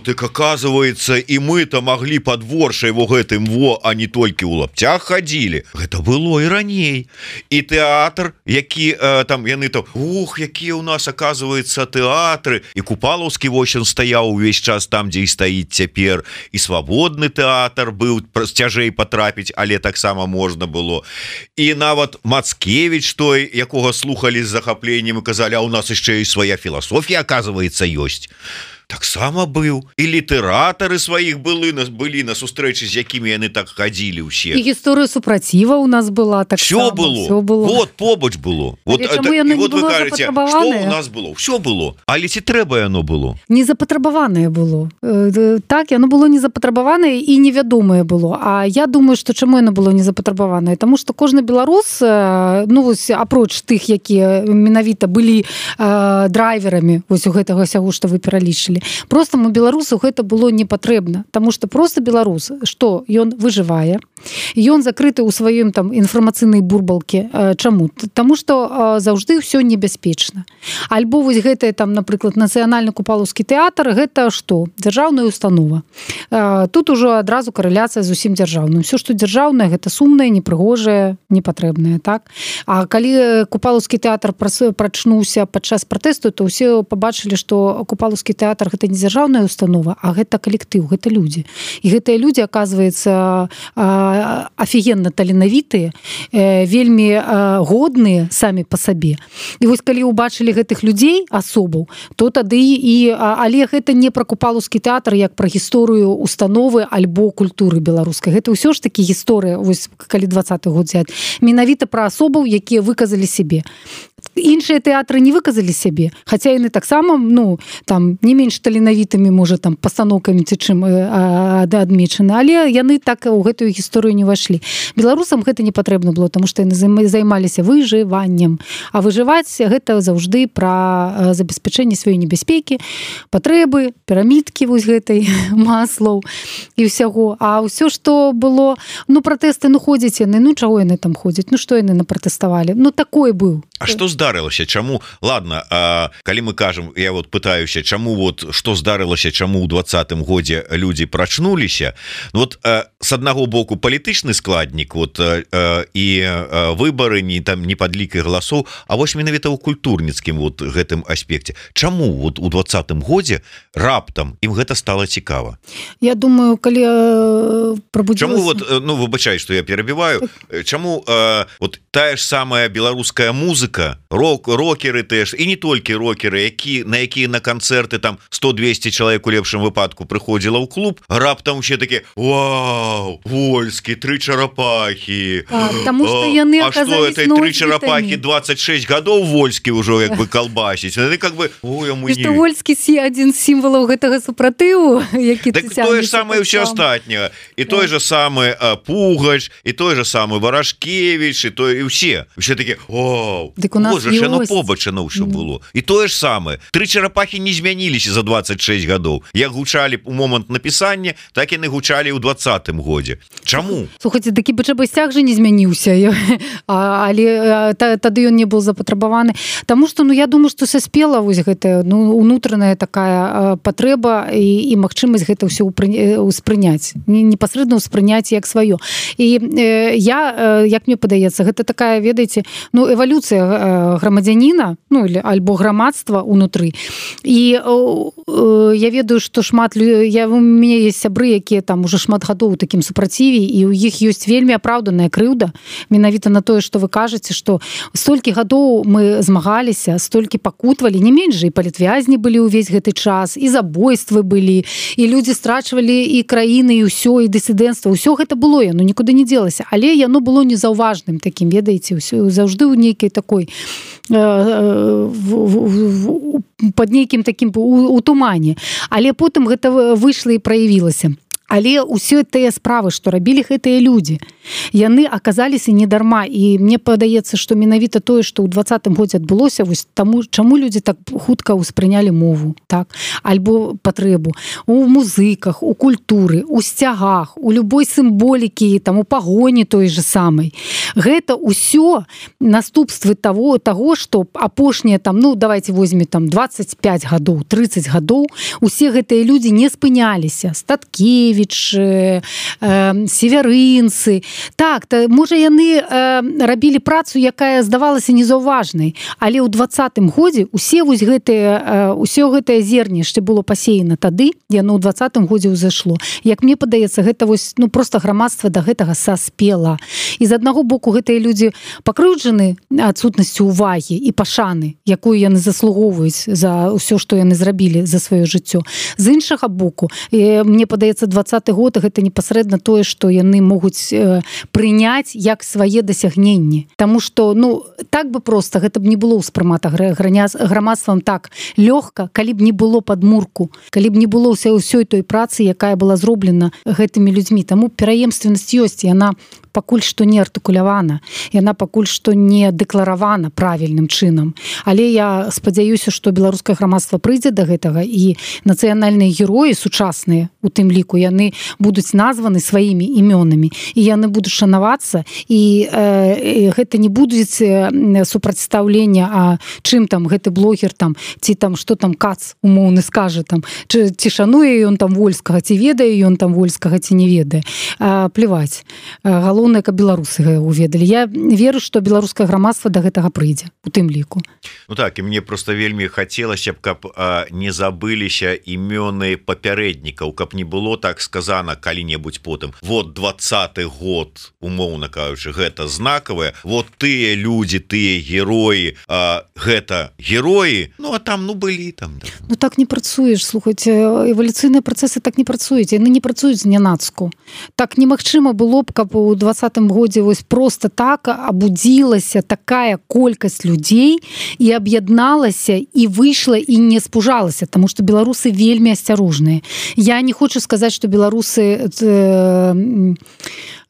Так оказывается, і мы-то маглі падворшай гэтым а не толькі ў лапцях хадзілі. Гэта было і раней. І тэатр, які там яны там, якія ў нас оказывается тэатры, і Купалаўскі восен стаяў увесь час там, дзе і стаіць цяпер, і свабодны тэатр быў цяжэй потрапіць, але таксама можна было. І нават Мацкевіч той, якога слухалі з захапленнем і казалі, а у нас яшчэ і свая філасофія, оказывается, ёсць. Таксама быў. І літаратары сваіх былі на сустрэчы, з якімі яны так хадзілі ўсе. І гісторыя супраціва ў нас была. Всё было. Вот побач было. Вот вы кажаце, што ў нас было? Всё было. Але ці трэба яно было? Незапатрабаванае было. Так, яно было незапатрабаванае і невядомае было. А я думаю, што чаму яно было незапатрабаванае? Таму што кожны беларус, ну вось апроч тых, якія менавіта былі драйверамі вось у гэтага сяго, што вы пералічылі, простаму беларусу гэта было не патрэбна, таму што просто беларус, што ён выжывае, ён закрыты ў сваім там інфармацыйнай бурбалке. Чаму? Таму што заўжды ўсё небяспечна. Альбо вось гэтае там, напрыклад, нацыянальны Купалаўскі тэатр, гэта што? Дзяржаўная установа. Тут ужо адразу карэляцыя з усім дзяржаўным. Всё, што дзяржаўнае, гэта сумнае, непрыгожае, непатрэбнае, так? А калі Купалаўскі тэатр прачнуўся падчас пратэсту, то ўсе пабачылі, што Купалаўскі тэатр гэта не дзяржаўная установа, а гэта калектыў, гэта людзі. І гэтыя людзі, аказваецца, афігенна таленавітыя, вельмі годныя самі па сабе. І вось калі ўбачылі гэтых людзей, асобаў, то тады але гэта не пра Купалаўскі тэатр, як пра гісторыю установы альбо культуры беларускай. Гэта ўсё ж такі гісторыя, вось калі 20-й год взять, менавіта пра асобаў, якія выказалі сябе. Іншыя тэатры не выказалі сябе, хаця яны таксама, ну, там не менш таленавітымі, можа, там пастаноўкамі ці чым адмечаны, але яны так у гэтую гісторыю не ўвайшлі. Беларусам гэта не патрэбна было, таму што яны займаліся выжываннем. А выжываць гэта заўжды пра забеспячэнне сваёй небяспекі, патрэбы, пірамідкі вось гэтай Маслоў і ўсяго. А ўсё, што было, ну, пратэсты, ну, ходзяць яны, ну, чаго яны там ходзяць, ну, што яны напратэставалі? Ну, такой быў. А што здарылася? Чаму? Ладно, калі мы кажам, я вот пытаюся, чаму вот што здарылася, чаму ў 20-м годзе людзі прачнуліся? Вот с аднаго боку палітычны складнік, вот і выбары, не там не падлікай галасоў, а вось менавіта ў культурніцкім вот гэтым аспекце. Чаму вот у 20-м годзе раптам ім гэта стала цікава? Я думаю, калі прабудзілася... Чаму вот, ну, выбачай, што я перабіваю, чаму вот тая ж самая беларуская музыка, рокеры теж, і не толькі рокеры, на якія на канцэрты там 100-200 чалавек у лепшым выпадку прыходзіла ў клуб, раптам усе такі: вау, Вольскі, 3 чарапахі. Таму што яны аказались носьбітамі. А што, 3 чарапахі 26 гадоў Вольскі ўжо як бы калбасіць. Яны как бы, ой, а мы не... Што Вольскі адзін з сімвалаў гэтага супратыву, які так тое ж самае ўсё астатняе. І той же самы Пугач, і той же самы Варашкевіч, і той, і ўсе. Усе такі: вау, боже, яно побачана ўсё было. І тое ж самае. 3 чарапахі не змяніліся за 26 гадоў. Як гучалі у момант напісання, так яны гучалі ў 20-м годзе. Чаму? Слухайце, такі бычабасцяг же не змяніўся, але тады ён не быў запатрабаваны. Таму што, ну, я думаю, што саспела вось гэтая, ну, унутраная такая патрэба і магчымасць гэта ўсё ўспрыняць. Непасрэдна ўспрыняць як сваё. І я, як мне падаецца, гэта такая, ведаеце, ну, эвалюцыя грамадзяніна, ну или альбо грамадства унутры. І я ведаю, што шмат у мяне есть сябры, якія там уже шмат гадоў у такім супраціве, і у іх ёсць вельмі апраўданая крыўда менавіта на тое, што вы кажаце, што столькі гадоў мы змагаліся, столькі пакутвалі, не менш жа і палітвязні былі ўвесь гэты час, і забойствы былі, і людзі страчвалі і краіны, і ўсё, і дысідэнцтва, ўсё гэта было, яно нікуды не дзелася, але яно было незаўважным такім, ведаеце, заўжды ў нейкай такой пад нейкім такім у тумане, але потым гэта выйшла і праявілася. Але ўсё тыя справы, што рабілі гэтыя людзі, яны аказаліся не дарма. І мне падаецца, што менавіта тое, што ў 20-м годзе адбылося, вось таму, чаму людзі так хутка ўспрынялі мову, так, альбо патрэбу у музыках, у культуры, у сцягах, у любой сімволікі, там, у пагоні той же самай. Гэта ўсё наступствы таго, што апошнія, там, ну, давайте возьмем там 25 гадоў, 30 гадоў, усе гэтыя людзі не спыняліся. Статкевіч, северынцы. Так, можа, яны рабілі працу, якая здавалася незаўважнай, але ў 20-м годзе ўсё гэтае зернішча было пасеяна тады, яно ў 20-м годзе ўзайшло. Як мне падаецца, гэта вось, ну, проста грамадства да гэтага саспела. І з аднаго боку гэтыя людзі пакрыўджаны адсутнасцю ўвагі і пашаны, якую яны заслугоўваюць за ўсё, што яны зрабілі за сваё жыццё. З іншага боку, мне падаецца, 20-й год гэта непасрэдна тое, што яны могуць прыняць як свае дасягненні. Таму што, ну, так бы проста гэта б не было ўспрымата грамадствам так лёгка, калі б не было падмурку, калі б не было ўсёй той працы, якая была зроблена гэтымі людзьмі. Таму пераемственнасць ёсць, яна пакуль што не артыкулявана, яна пакуль што не дэкларавана правільным чынам. Але я спадзяюся, што беларускае грамадства прыйдзе да гэтага, і нацыянальныя героі сучасныя, у тым ліку, яны будуць названы сваімі імёнамі, і яны будуць шанавацца, і гэта не будуць супрацьстаўлення, а чым там гэты блогер там, ці там што там Кац умоўны скажа там, ці шануе ён там Вольскага, ці ведае ён там Вольскага, ці не ведае. Пляваць. Галоўнае, каб беларусы уведалі. Я веру, што беларускае грамадства да гэтага прыйдзе, у тым ліку. Ну так, і мне просто вельмі хацелася б, каб не забыліся імёны папярэднікаў, каб не было так сказана калі-небудзь потым. Вот 20-й год, умоўна кажучы, гэта знакавае. Вот тыя людзі, тыя героі, гэта героі, ну а там, ну былі там. Да. Ну так не працуеш, слухайце, эвалюцыйныя працэсы так не працуюць, яны не працуюць знянацку. Так немагчыма было б, каб у 20-м годзе вось просто так абудзілася такая колькасць людзей і аб'ядналася і выйшла і не спужалася, таму што беларусы вельмі асцярожныя. Я не хочу сказаць, што беларусы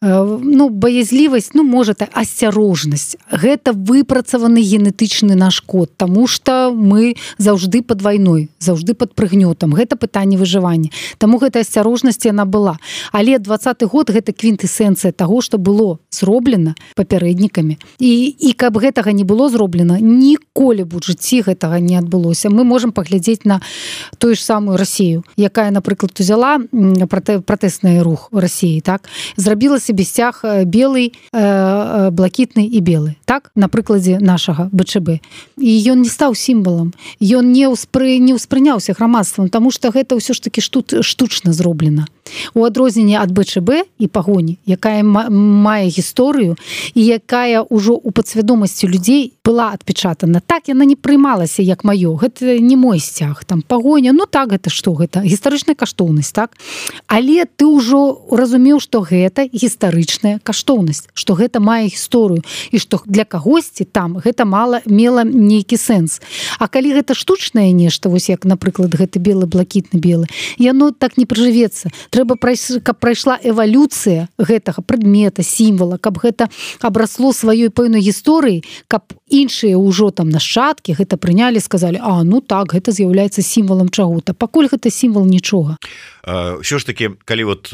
ну, баязлівасць, ну, можа, асцярожнасць. Гэта выпрацаваны генетычны наш код, таму што мы заўжды пад вайной, заўжды пад прыгнётам. Гэта пытанне выжывання. Таму гэта асцярожнасць яна была. Але 20-й год гэта квінтэсенцыя таго, што было зроблена папярэднікамі. І каб гэтага не было зроблена, ніколі б у жыцці гэтага не адбылося. Мы можам паглядзець на тую ж самую Расію, якая, напрыклад, узяла пратэсны рух у Расіі, так? Зрабіла себе сцяг белый, блакітны і белы, так? На прыкладзе нашага БЧБ. І ён не стаў сімвалам. Ён не ўспрыняўся грамадствам, таму што гэта ўсё ж такі штучна зроблена. У адрозненне ад БЧБ і пагоні, якая мае гісторыю і якая ўжо ў падсвядомасці людзей была адпечатана. Так яна не прыймалася як маё. Гэта не мой сцяг. Там пагоня, ну так, гэта што гэта? Гістарычная каштоўнасць, так? Але ты ўжо разумеў, што гэта гістарычная каштоўнасць, што гэта мае гісторыю і што для кагосьці там гэта мела нейкі сэнс. А калі гэта штучнае нешта, вось як, напрыклад, гэты белы, блакітны, белы, яно так не прыжывецца. Трэба, каб прайшла эвалюцыя гэтага прадмета, сімвала, каб гэта абрасло сваёй пэўнай гісторыяй, каб іншыя ўжо там нашчадкі гэта прынялі, сказалі, а, ну так, гэта з'яўляецца сімвалам чаго-то. Пакуль гэта сімвал нічога. Ўсё ж таки, калі вот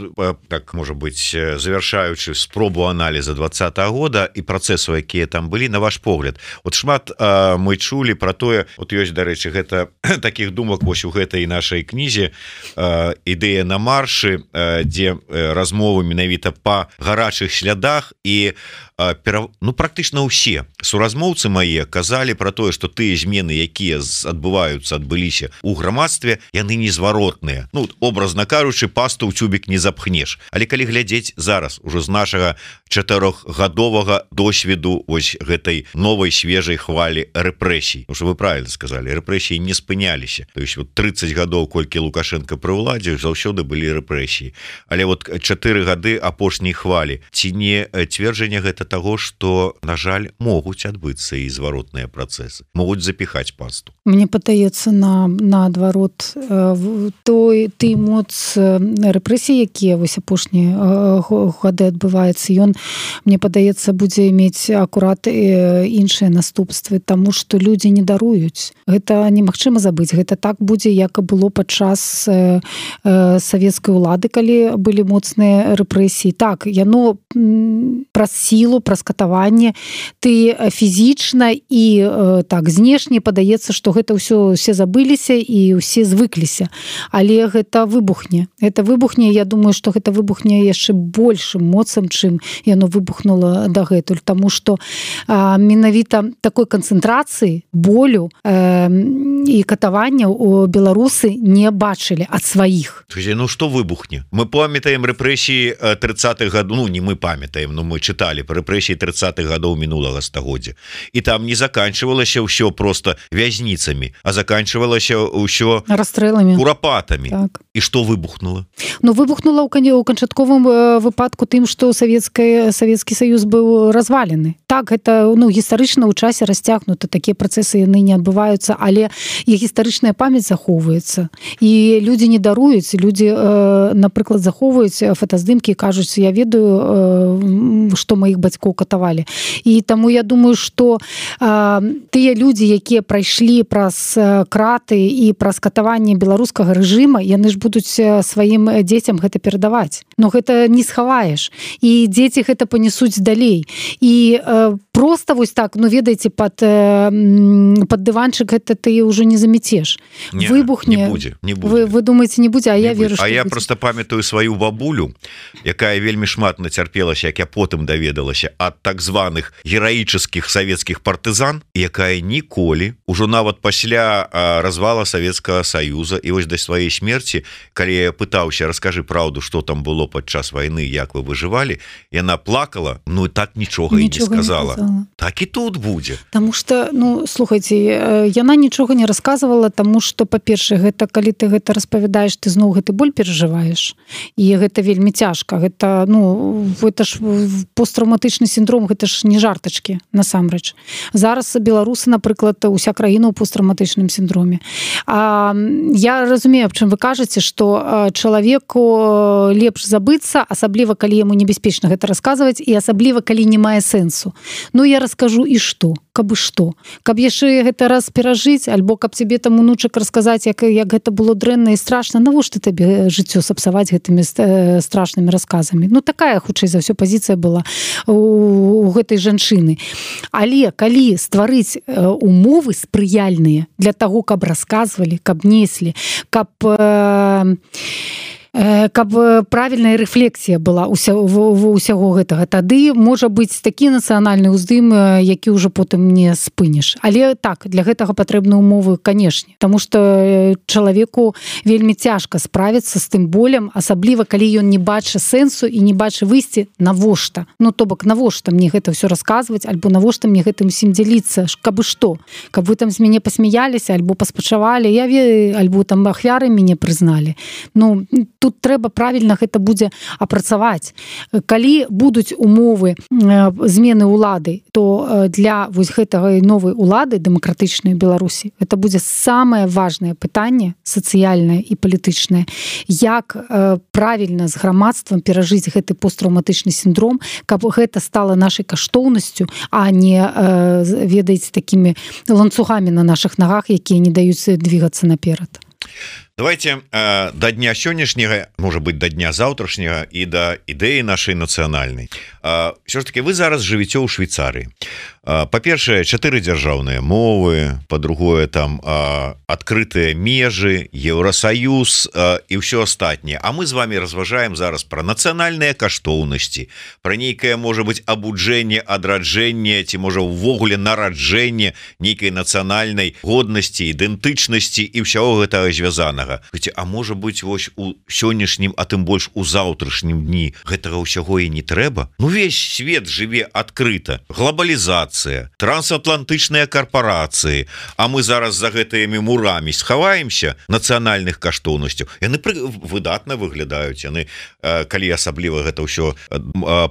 так, можа быць, завяршаючы спробу аналіза 20-го года і працэсаў, якія там былі, на ваш погляд? От шмат мы чулі про тое, от ёсць, дарэчы, гэта таких думак вось у гэтай нашай кнізе «Ідэя на маршы», дзе размовы менавіта па гарачых слядах, і практычна ўсе суразмоўцы мае казалі про тое, што тыя змены, якія адбыліся у грамадстве, яны незваротныя. Образна кажучы, пасту ў цюбік не запхнеш. Але калі глядзець зараз ужо з нашага 4гадовага досведу вось гэтай новай свежай хвалі рэпрэсій, что вы правильно сказали, рэпрэсіі не спыняліся. То есть 30 гадоў, колькі Лукашенко пры ўладзе, заўсёды былі рэпрэсіі. Але 4 гады апошняй хвалі, ці не цверджанне гэта таго, што, на жаль, могуць адбыцца і зваротныя працэсы, могуць запіхаць пасту? Мне падаецца наадварот, той моц рэпрэсій, якія вось апошнія гады адбываецца, ён, мне падаецца, будзе мець акурат іншыя наступствы, таму што людзі не даруюць. Гэта немагчыма забыць. Гэта так будзе, як і было падчас савецкай улады, калі былі моцныя рэпрэсіі. Так, яно праз сілу, праз катаванне, ты фізічна і так знешне падаецца, што гэта ўсё забыліся і ўсе звыкліся. Але гэта выбухне. Я думаю, што гэта выбухне яшчэ большым моцам, чым яно выбухнула дагэтуль, таму што менавіта такой канцэнтрацыі болю і катавання у беларусы не бачылі ад сваіх. Што выбухне? Мы памятаем рэпрэсіі 30-х гадоў, не мы памятаем, но мы чыталі па рэпрэсіі 30-х гадоў мінулага стагоддзя. І там не заканчвалася ўсё просто вязніцамі, а заканчвалася ўсё расстрэламі, курапатамі. Так. І што выбухнула? Выбухнула ў канчатковым выпадку тым, што Савецкі Саюз быў развалены. Так, гэта гістарычна ў часе расцягнута, такія працэсы яны не адбываюцца, але і гістарычная памяць захоўваецца. І людзі не даруюць, людзі, напрыклад, захоўваюць фотаздымкі і кажуць, я ведаю, што маіх бацькоў катавалі. І таму я думаю, што тыя людзі, якія прайшлі праз краты і праз катаванне беларускага рэжыма, яны ж будуць сваім дзецям гэта перадаваць. Но гэта не схаваеш. І дзеці гэта панесуць далей. І просто вось так, ведаеце, пад дыванчык гэта ты ўжо не замецеш. Выбухне. Не будзе. Вы думаеце, не будзе, а я веру, што будзе. А я просто памятаю сваю бабулю, якая вельмі шмат нацярпелася, як я потым даведалася, ад так званых гераічных савецкіх партызан, якая ніколі, ужо нават пасля развала Савецкага Саюза і вось да сваёй смерці, калі я пытаўся, раскажы праўду, што там было падчас вайны, як вы выжывалі, яна плакала, і так нічога і не сказала. Так і тут будзе. Таму што, слухайце, яна нічога не расказвала, таму што, па-першае, гэта калі ты гэта распавядаеш, ты зноў гэты боль перажываеш. І гэта вельмі цяжка. Гэта, гэта ж посттраўматычны сіндром, гэта ж не жартачкі, насамрэч. Зараз беларусы, напрыклад, уся краіна ў посттраўматычным сіндроме. Я разумею, аб чым вы кажаце, што чалавеку лепш забыцца, асабліва, калі яму небяспечна гэта расказваць, і асабліва, калі не мае сэнсу. Я раскажу і што? Каб і што? Каб яшчэ гэта раз перажыць, альбо каб цябе там унучак расказаць, як гэта было дрэнна і страшна, навошта табе жыццё сапсаваць гэтымі страшнымі расказамі? Такая, хутчэй за ўсё, пазіцыя была у гэтай жанчыны. Але калі стварыць умовы спрыяльныя для таго, каб расказвалі, каб неслі, каб правільная рэфлексія была ўсяго гэтага, тады можа быць такі нацыянальны ўздым, які ўжо потым не спыніш. Але так, для гэтага патрэбны умовы, канешне, таму што чалавеку вельмі цяжка справіцца з тым болем, асабліва, калі ён не бачыць сэнсу і не бачыць выйсці, навошта? То бок, навошта мне гэта ўсё расказваць, альбо навошта мне гэтым усім дзяліцца, каб і што? Каб вы там з мяне пасмяяліся, альбо паспачавалі, альбо там ахвяры мяне прызналі. Тут трэба правільна гэта будзе апрацаваць. Калі будуць умовы змены ўлады, то для вось гэтага новай улады дэмакратычнай Беларусі гэта будзе самае важнае пытанне сацыяльнае і палітычнае. Як правільна з грамадствам перажыць гэты посттраўматычны сіндром, каб гэта стала нашай каштоўнасцю, а не, ведаеце, такімі ланцугамі на нашых нагах, якія не даюць двигацца наперад. Давайте до дня сённяшняга, может быть, до дня заўтрашняга і да ідэі нашай нацыянальнай. Все ж таки вы зараз жывіце ў Швейцарыі. Па-першае, 4 дзяржаўныя мовы, па-другое, там адкрытыя межы, Еўросаюз і ўсё астатняе. А мы з вами разважаем зараз пра нацыянальныя каштоўнасці, пра нейкае, можа быть, абуджэнне, адраджэнне, ці можа ўвогуле нараджэнне нейкай нацыянальнай годнасці, ідэнтычнасці і ўсяго гэтага звязанага. А можа быть, вось у сённяшнім, а тым больш у заўтрашнім дні гэтага ўсяго і не трэба? Ну, весь свет жыве адкрыта, глобалізацыя, трансатлантычныя карпорацыі, а мы зараз за гэтымі мурамі схаваемся нацыянальных каштоўнасцяў. Яны выдатна выглядаюць, яны, калі асабліва гэта ўсё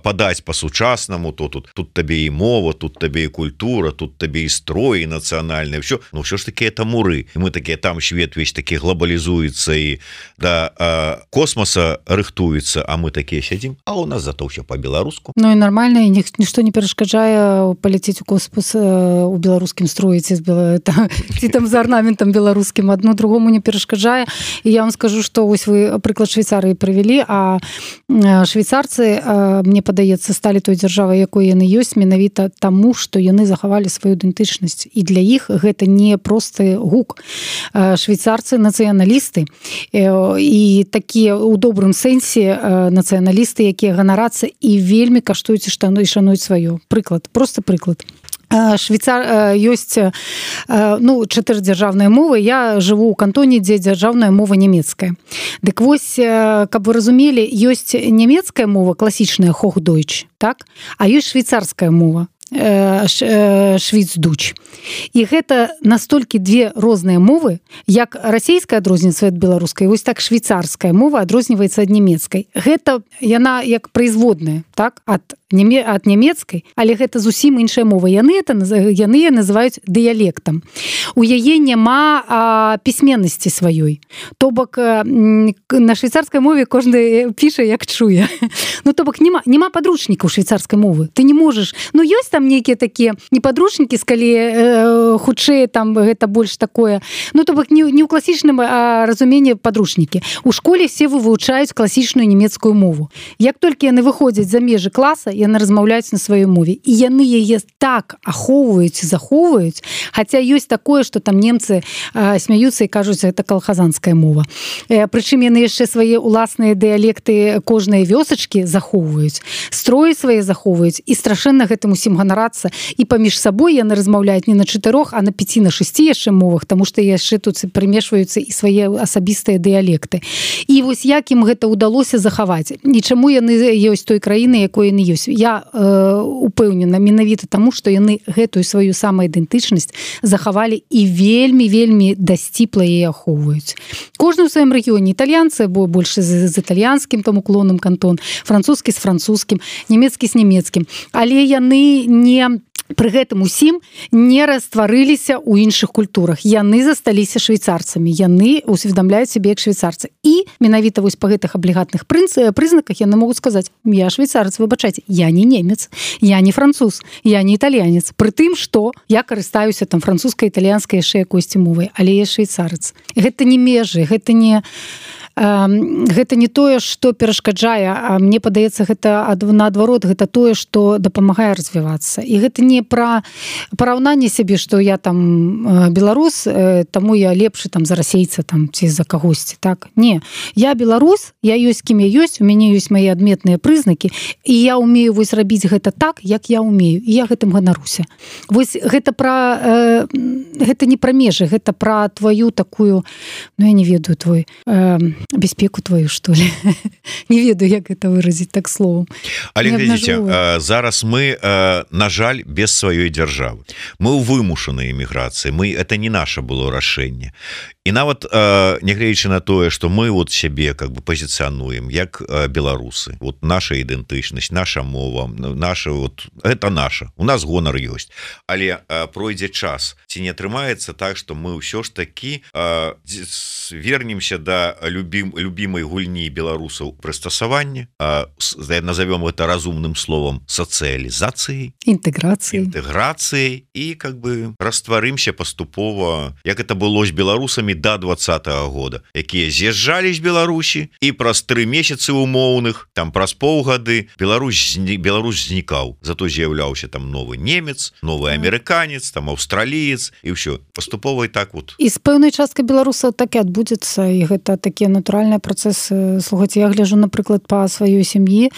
падаць па-сучаснаму, то тут табе і мова, тут табе і культура, тут табе і строй, і нацыянальнае ўсё. Ну ўсё ж таки это муры. І мы такія, там свет весь такі глобалізуецца і да космоса рыхтуецца, а мы такія сядзім, а у нас зато ўсё по-беларуску. Ну і нармальна, і нішто не перашкаджае паляцець у космос у беларускім строі ці там за арнаментам беларускім, адно другому не перашкаджае. І я вам скажу, што вось вы прыклад Швейцарыі прывялі, а швейцарцы, мне падаецца, сталі той дзяржавай, якой яны ёсць, менавіта таму, што яны захавалі сваю ідэнтычнасць. І для іх гэта не просты гук. Швейцарцы нацыяналісты і такія ў добрым сэнсе нацыяналісты, якія ганарацца і вельмі каштуюць і шануюць сваё. Прыклад, просто прыклад. Швейцар ёсць 4 дзяржаўныя мовы. Я жыву ў кантоне, дзе дзяржаўная мова нямецкая. Дык вось, каб вы разумелі, ёсць нямецкая мова, класічная Hochdeutsch, так? А ёсць швейцарская мова, Schwyzdeutsche. І гэта настолькі две розныя мовы, як расійская адрозніваецца ад беларускай, вось так швейцарская мова адрозніваецца ад нямецкай. Гэта яна як производная, так, ад нямецкай, але гэта зусім іншая мова. Яны называюць дыялектам. У яе няма пісьменнасці сваёй. То бок на швейцарскай мове кожны піша як чуе. Ну то бок няма падручнікаў швейцарскай мовы. Ты не можаш, ёсць там нейкія такія не падручнікі, скалі хутчэй там гэта больш такое. Ну то бок не ў класічным разуменні падручнікі. У школе все вывучаюць класічную нямецкую мову. Як толькі яны выходзяць за межы класа, яны размаўляюць на сваёй мове. І яны яе так ахоўваюць, захоўваюць, хаця ёсць такое, што там немцы смяюцца і кажуць, гэта калхазанская мова. Прычым яны яшчэ свае ўласныя дыялекты кожнай вёсачкі захоўваюць, строі свае захоўваюць, і страшэнна гэтым усім ганарацца. І паміж сабой яны размаўляюць не на 4, а на 5, на 6 яшчэ мовах, таму што яшчэ тут прымешваюцца і свае асабістыя дыялекты. І вось як ім гэта ўдалося захаваць? І чаму яны ёсць той краіны, якой яны ёсць? Я упэўнена менавіта таму, што яны гэтую сваю самаідэнтычнасць захавалі і вельмі дасціпла яе ахоўваюць. Кожны ў сваім рэгіёне. Італьянцы, бо больш з італьянскім там уклонам кантон, французскі з французскім, нямецкі з нямецкім. Але яны не пры гэтым усім не растварыліся ў іншых культурах. Яны засталіся швейцарцамі. Яны усведамляюць сябе як швейцарцы. І менавіта вось па гэтых аблігатных прызнаках яны могуць сказаць: я швейцарец, выбачайце, я не немец, я не француз, я не італьянец. Пры тым, што я карыстаюся там французскай, італьянскай, яшчэ якойсьці мовай, але я швейцарец. Гэта не межы, гэта не тое, што перашкаджае, а мне падаецца, гэта наадварот, гэта тое, што дапамагае развівацца. І гэта не пра параўнанне сябе, што я там беларус, таму я лепшы там за расейца там ці за кагосьці, так? Не, я беларус, я ёсць кім я ёсць, у мяне ёсць мае адметныя прызнакі, і я ўмею вось рабіць гэта так, як я ўмею, і я гэтым ганаруся. Вось гэта не пра межы, гэта пра тваю такую, я не ведаю, твой бяспеку твою, што ли. Не ведаю, як гэта выразіць так словом. Але глядзіце, зараз мы, на жаль, без сваёй дзяржавы. Мы ў вымушанай эміграцыі. Это не наша было рашэнне. І нават нягледзячы на тое, што мы вот сябе как бы пазіцыянуем як беларусы, вот наша ідэнтычнасць, наша мова, наша вот это наша, у нас гонар ёсць, але пройдзе час, ці не атрымаецца так, што мы ўсё ж такі вернемся да любімай гульні беларусаў прыстасавання, назовём это разумным словом сацыялізацыяй, інтэграцыяй і как бы растварымся паступова, як это было з беларусамі беларусамі до 20-го года, якія з'язджалі з Беларусі, і праз 3 месяцы умоўных, там праз паўгады Беларусь знікаў, зато з'яўляўся там новы немец, новы амерыканец, там аўстраліец, і ўсё паступова і так вот. І з пэўнай часткай беларусаў так і адбудзецца, і гэта такія натуральныя працэсы. Слухайце, я гляжу, напрыклад, па сваёй сям'і,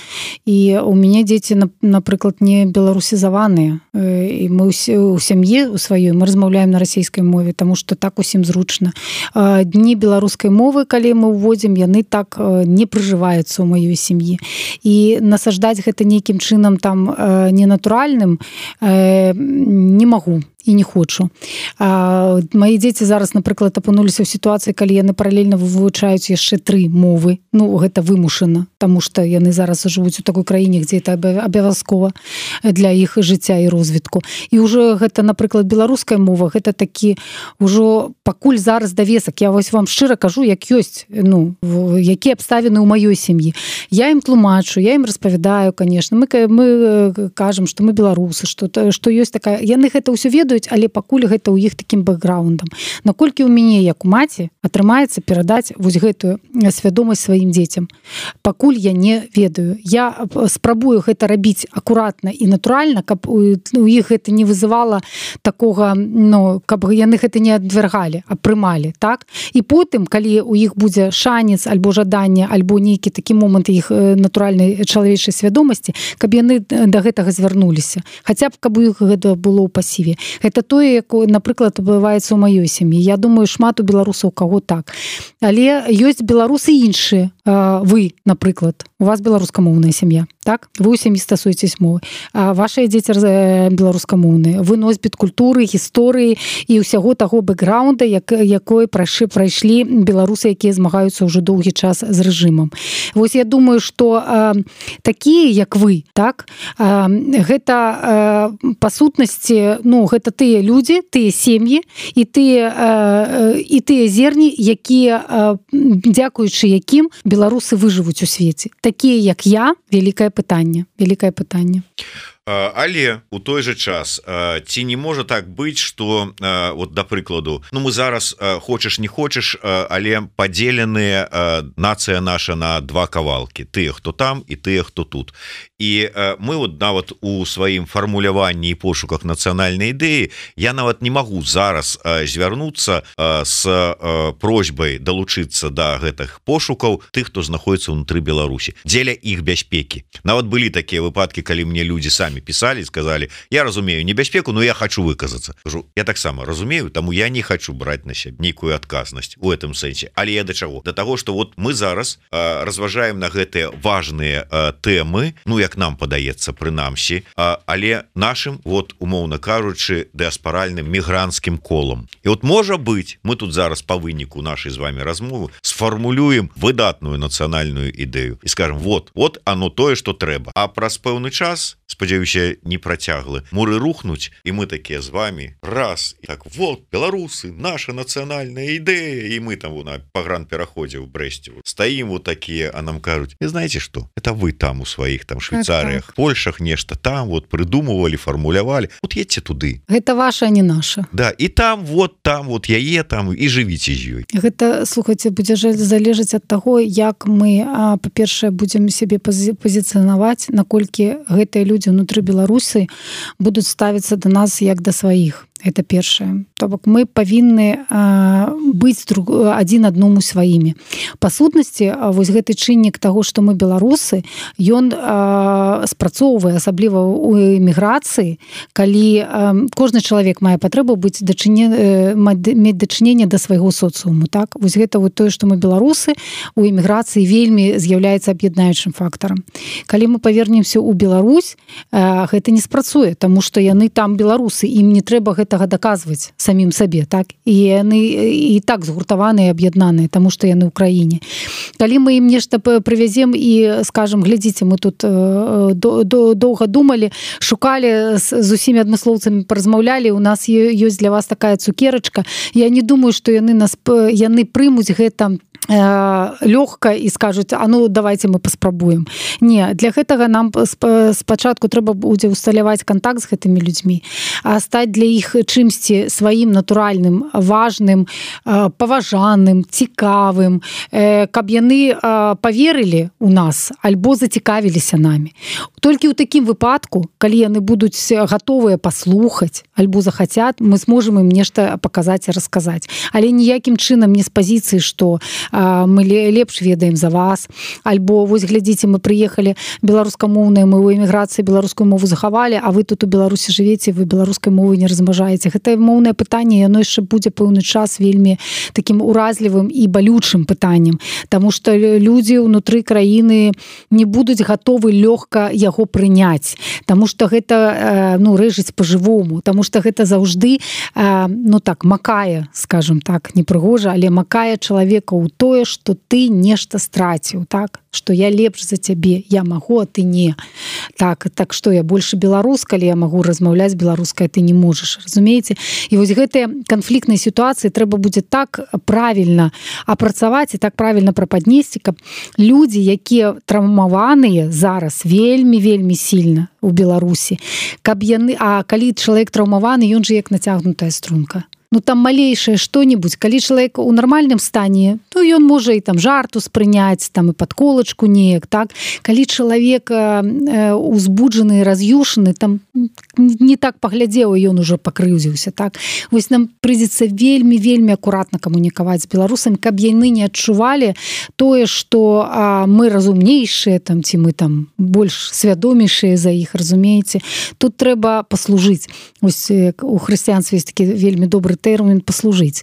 і у мяне дзеці, напрыклад, не беларусізаваныя, і мы у сям'і у сваёй мы размаўляем на расійскай мове, таму што так усім зручна. Дні беларускай мовы, калі мы ўводзім, яны так не прыжываюцца ў маёй сям'і. І насаждаць гэта нейкім чынам там ненатуральным не магу і не хочу. Мои дзеці зараз, напрыклад, апынуліся ў сітуацыі, калі яны паралельна вывучаюць яшчэ 3 мовы. Ну, гэта вымушана, таму што яны зараз жывуць у такой краіне, дзе это абавязкова для іх жыцця і розвітку. І ўжо гэта, напрыклад, беларуская мова, гэта такі ўжо пакуль зараз давесак. Я вось вам шчыра кажу, як ёсць, ну, якія абставіны ў маёй сям'і. Я ім тлумачу, я ім распавядаю, конечно. Мы кажам, што мы беларусы, што ёсць такая... Яны гэта ўсё ведаюць, але пакуль гэта ў іх такім бэкграундам. Наколькі ў мяне, як у маці, атрымаецца перадаць вось гэтую свядомасць сваім дзецям. Пакуль я не ведаю. Я спрабую гэта рабіць акуратна і натуральна, каб у іх гэта не вызывала такога, ну, каб яны гэта не адвяргалі, а прымалі, так? І потым, калі у іх будзе шанец, альбо жаданне, альбо нейкі такі момант іх натуральнай чалавечай свядомасці, каб яны да гэтага звярнуліся. Хаця б, каб у іх гэта было ў пасіве. Гэта тое, як, напрыклад, адбываецца ў маёй сям'і. Я думаю, шмат у беларусаў каго так. Але ёсць беларусы іншыя. Вы, напрыклад, у вас беларускамоўная сям'я, так? Вы ў сям'і стасуецесь мовы. Вашыя дзеці беларускамоўныя. Вы носьбіт культуры, гісторыі і ўсяго таго бэкграунда, якой прайшлі беларусы, якія змагаюцца ўжо доўгі час з рэжымам. Вось я думаю, што такія, як вы, так? Гэта па сутнасці, ну, гэта тыя людзі, тыя сем'і і тыя зерні, якія, дзякуючы якім беларусы выжывуць у свеце. Такія, як я, вялікае пытанне. Але у той же час ці не можа так быць, што вот да прыкладу, ну мы зараз хочаш не хочаш, але падзеленыя нацыя наша на 2 кавалкі, тыя, хто там і тыя, хто тут. І мы вот нават у сваім фармуляванні і пошуках нацыянальнай ідэі я нават не магу зараз звярнуцца з просьбай далучыцца да гэтых пошукаў тых, хто знаходіцца ўнутры Беларусі, дзеля іх бяспекі. Нават былі такія выпадкі, калі мне людзі самі писали, сказали, я разумею небяспеку, но я хочу выказаться. Я таксама разумею, тому я не хочу брать на себя некую адказнасць у этом сэнсе. Але я до чаго? До того, что вот мы зараз разважаем на гэтыя важныя тэмы, ну як нам падаецца прынамсі, але нашим, вот умоўна кажучы, дыаспаральным мігранцкім колам. І вот можа быть, мы тут зараз по выніку нашай з вами размовы сфармулюем выдатную нацыянальную ідэю і скажем, вот оно тое, что трэба. А праз пэўны час, спадзяюся, не працяглы, муры рухнуць, і мы такія з вами раз, і так, вот, беларусы, наша нацыянальная ідэя, і мы там на пагранпераходзе ў Брэсце стаім вот такія, а нам кажуць, и знаете что, это вы там у сваіх там Швейцарыях, Польшах нешта там вот придумывали, формулявали, вот едьте туды. Гэта ваша, а не наша. Да, и там вот яе там і жывіце з ёй. Гэта, слухайце, будзе залежаць ад таго, як мы, па-першае, будзем сябе пазіцыянаваць, наколькі гэтыя людзі ўнутры Беларуси будуць ставіцца да нас як да сваіх. Это першае. То бок мы павінны быць адзін адному сваімі. Па сутнасці, вось гэты чыннік таго, што мы беларусы, ён спрацоўвае, асабліва ў эміграцыі, калі кожны чалавек мае патрэбу мець дачыненне да свайго соцыуму. Так? Вось гэта вот тое, што мы беларусы, у эміграцыі вельмі з'яўляецца аб'яднаючым фактарам. Калі мы павернемся ў Беларусь, гэта не спрацуе, таму што яны там беларусы, ім не трэба гэтага даказваць самім сабе, так? І яны і так згуртаваныя, аб'яднаныя, таму што яны ў краіне. Калі мы ім нешта прывязем і скажам, глядзіце, мы тут доўга думалі, шукалі, з усімі адмыслоўцамі паразмаўлялі, у нас ёсць для вас такая цукерачка. Я не думаю, што яны прымуць гэта лёгка і скажуць, а ну давайте мы паспрабуем. Не, для гэтага нам спачатку трэба будзе усталяваць контакт з гэтымі людзьмі, а стаць для іх іх чымсьці сваім натуральным, важным, паважаным, цікавым, каб яны поверылі у нас альбо зацікавіліся намі. Толькі ў такім выпадку, калі яны будуць гатовыя паслухаць альбо захацят, мы зможам ім нешта паказаць і расказаць. Але ніякім чынам не з пазіцыі, што мы лепш ведаем за вас, альбо вось глядзіце, мы прыехалі беларускамоўныя, мы ў эміграцыі беларускую мову захавалі, а вы тут у Беларусі жывеце, вы беларускай мовы не размнажаеце. Гэта моўнае пытанне, яно яшчэ будзе пэўны час вельмі такім уразлівым і балючым пытаннем, таму што людзі ўнутры краіны не будуць гатовы лёгка яго прыняць, таму што гэта рэжыць па-жывому, таму што гэта заўжды макае, скажем так, непрыгожа, але макае чалавека ў тое, што ты нешта страціў, так? Што я лепш за цябе, я магу, а ты не. Так што я больше беларус, калі я магу размаўляць беларускай, ты не можаш, разумееце? І вось гэтыя канфліктныя сітуацыі трэба будзе так правільна апрацаваць і так правільна прападнесці, каб людзі, якія траўмаваныя зараз вельмі сильна у Беларусі, каб яны, а калі чалавек траўмаваны, ён же як нацягнутая струнка. Там малейшае што-небудзь, калі чалавек у нармальным стане, то ён можа і там жарту спрыняць, там і падколачку неяк, так? Калі чалавек узбуджаны, раз'юшаны, там не так паглядзеў, і ён ужо пакрыўдзіўся, так? Вось нам прыйдзецца вельмі акуратна камунікаваць з беларусамі, каб яны не адчувалі тое, што мы разумнейшыя, там, ці мы там больш свядомейшыя за іх, разумееце? Тут трэба паслужыць. Вось у хрысціянстве ёсць такі вельмі добры тэрмін паслужыць.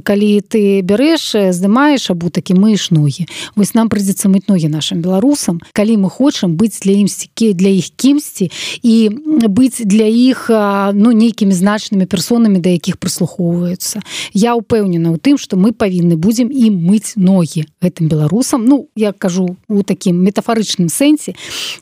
Калі ты бярэш, здымаеш абутак і мыеш ногі. Вось нам прыйдзецца мыць ногі нашым беларусам, калі мы хочам быць для іх кімсьці і быць для іх нейкімі значнымі персонамі, да якіх прыслухоўваюцца. Я ўпэўнена ў тым, што мы павінны будзем ім мыць ногі гэтым беларусам, я кажу у такім метафарычным сэнсе,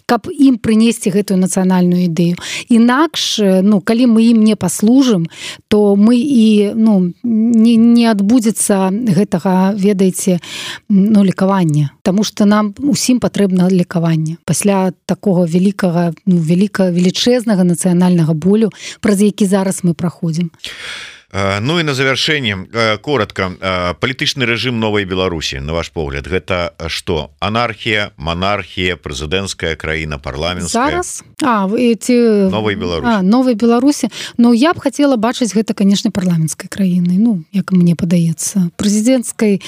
каб ім прынесці гэтую нацыянальную ідэю. Інакш, калі мы ім не паслужым, то мы і не адбудзецца гэтага, ведаеце, лекавання. Таму што нам усім патрэбна лекаванне. Пасля такога велічэзнага нацыянальнага болю, праз які зараз мы праходзім. Ну і на завяршэнне коротко, палітычны рэжым новай Беларусі, на ваш погляд, гэта што? Анархія, монархія, прэзідэнцкая краіна, парламенцкая? Зараз? Новай Беларусі. Новай Беларусі. Я б хацела бачыць гэта, канешне, парламенцкай краінай, як мне падаецца. Прэзідэнцкай,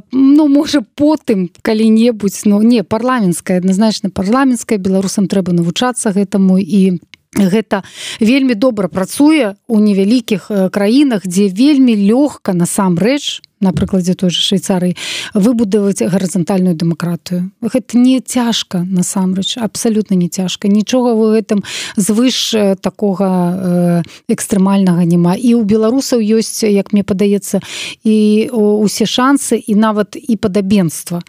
можа, потым калі-небудзь, не, парламенцкая, адназначна парламенцкая, беларусам трэба навучацца гэтаму, і гэта вельмі добра працуе ў невялікіх краінах, дзе вельмі лёгка насамрэч, на прыкладзе той же Швейцарыі, выбудаваць гарызантальную дэмакратыю. Гэта не цяжка, насамрэч, абсалютна не цяжка. Нічога ў гэтым звыш такога экстрэмальнага няма. І ў беларусаў ёсць, як мне падаецца, і усе шансы, і нават і падабенства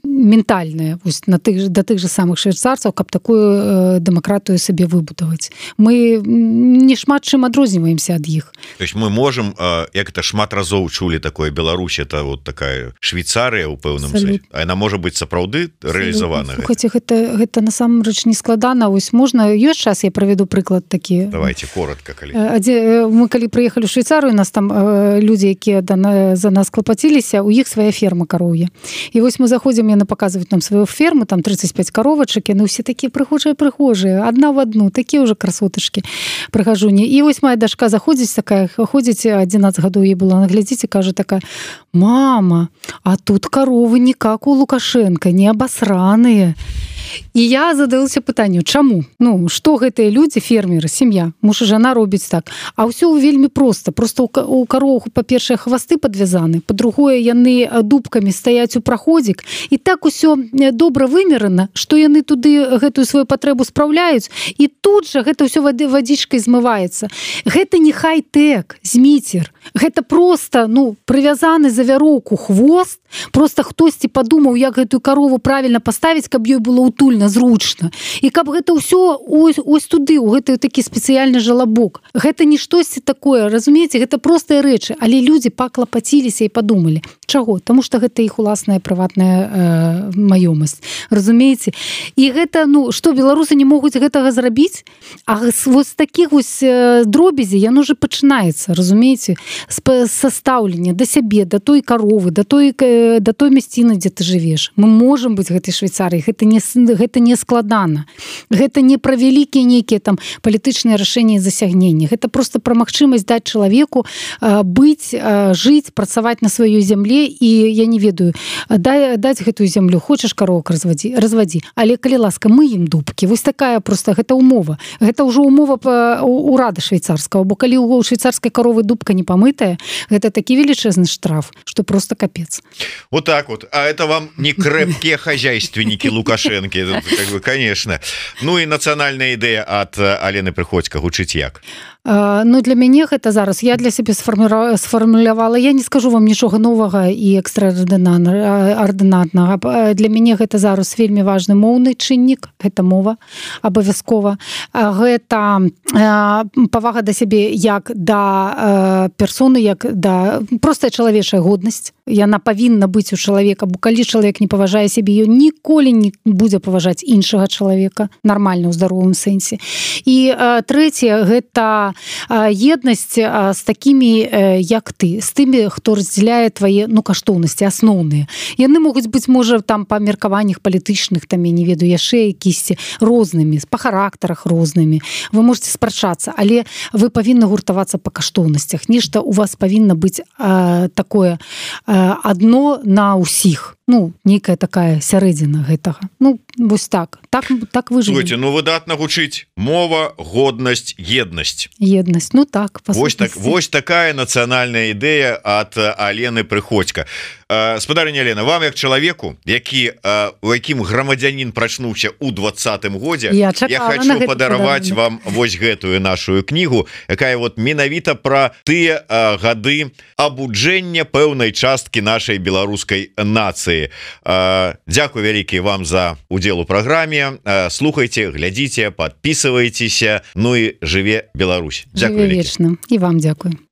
ментальнае да тых же самых швейцарцаў, каб такую дэмакратыю сабе выбудаваць. Мы не шмат чым адрозніваемся ад іх. То есть мы можем, як это шмат разоў чулі такое, Беларусь это вот такая Швейцарыя ў пэўным сэнсе. А яна можа быць сапраўды рэалізавана. Слухайце, гэта насамрэч не складана. Вось можна, ёсць час, я праведу прыклад такі. Давайте коротко, калі. Мы калі прыехалі ў Швейцарыю, нас там людзі, якія за нас клапаціліся, у іх свая ферма кароўя. І вось мы заходзім, яны паказваюць нам сваю ферму, там 35 каровачак, яны ўсе такія прыгожыя, адна в адну, такія ўжо красотачкі, прыгажуні. І вось моя дачка заходзіць такая, ходзіць 11 гадоў, ей было, глядзіце, кажа такая: мама, а тут коровы не как у Лукашенко, не абасраныя. І я задалася пытанню, чаму? Што гэтыя людзі, фермеры, сям'я, муж і жана робяць так? А ўсё вельмі проста. Просто у кароў, па-першае, хвасты падвязаны, па-другое, яны дубкамі стаяць у праходзік, і так усё добра вымерана, што яны туды гэтую сваю патрэбу спраўляюць, і тут жа гэта ўсё вадзічкай змываецца. Гэта не хай-тэк, зміцер. Гэта проста, прывязаны за вяроўку хвост, проста хтосьці падумаў, як гэтую карову правільна паставіць, каб ёй было утульна, зручна. І каб гэта ўсё ось туды, у гэты такі спецыяльны жалабок. Гэта не штосьці такое, разумееце, гэта простыя рэчы, але людзі паклапаціліся і падумалі. Чаго? Таму што гэта іх уласная прыватная маёмасць. Разумееце? І гэта, ну, што беларусы не могуць гэтага зрабіць? А вось такіх вось дробязі яно же пачынаецца, разумееце, са стаўлення да сябе, да той каровы, да той мясціны, дзе ты жывеш. Мы можам быць гэтай Швейцарыяй, гэта не складана. Гэта не пра вялікія нейкія там палітычныя рашэнні і засягненні. Гэта просто пра магчымасць даць чалавеку быць, жыць, працаваць на сваёй зямле, і я не ведаю, даць гэтую зямлю, хочаш каровак развадзі, але калі ласка, мы ім дубкі. Вось такая просто гэта умова. Гэта ўжо умова урада швейцарскага, бо калі у швейцарскай каровы дубка не памытая, гэта такі велічэзны штраф, што просто капец. Вот так вот. А это вам не крепкие хозяйственники Лукашенки, как бы, конечно. Ну и национальная идея от Алены Прыходько гучыць як? Ну, для мяне гэта зараз, я для сябе сфармулявала, я не скажу вам нічога новага і экстраардынатнага. Для мяне гэта зараз вельмі важны моўны чыннік, гэта мова, абавязкова. Гэта павага да сябе як да персоны, як да простая чалавечая годнасць. Яна павінна быць у чалавека, бо калі чалавек не паважае сябе, ён ніколі не будзе паважаць іншага чалавека, нармальна ў здаровым сэнсе. І трэцяе, гэта еднасць з такімі, як ты, з тымі, хто раздзяляе твае, ну, каштоўнасці асноўныя. Яны могуць быць, можа, там па меркаваннях палітычных, там, я не ведаю, яшчэ якісьці рознымі, па характарах рознымі. Вы можете спрачацца, але вы павінны гуртавацца па каштоўнасцях. Нешта у вас павінна быць такое адно на ўсіх. Ну, нейкая такая сярэдзіна гэтага. Ну, вось так. Так выжывем. Слушайте, ну выдатна гучыць мова, годнасць, еднасць. Еднасць, ну так. Вось такая нацыянальная ідэя ад Алены Прыходько. Спадарыня Алена, вам як чалавеку, у якім грамадзянін прачнуўся ў 20-м годзе, я хочу падараваць вам вось гэтую нашу кнігу, якая вот менавіта пра тыя гады абуджэння пэўнай часткі нашай беларускай нацыі. Дзякуй вялікі вам за удзел у праграме. Слухайте, глядзіце, подписывайтеся. Ну і жыве Беларусь. Жыве вечна. І вам дзякуй.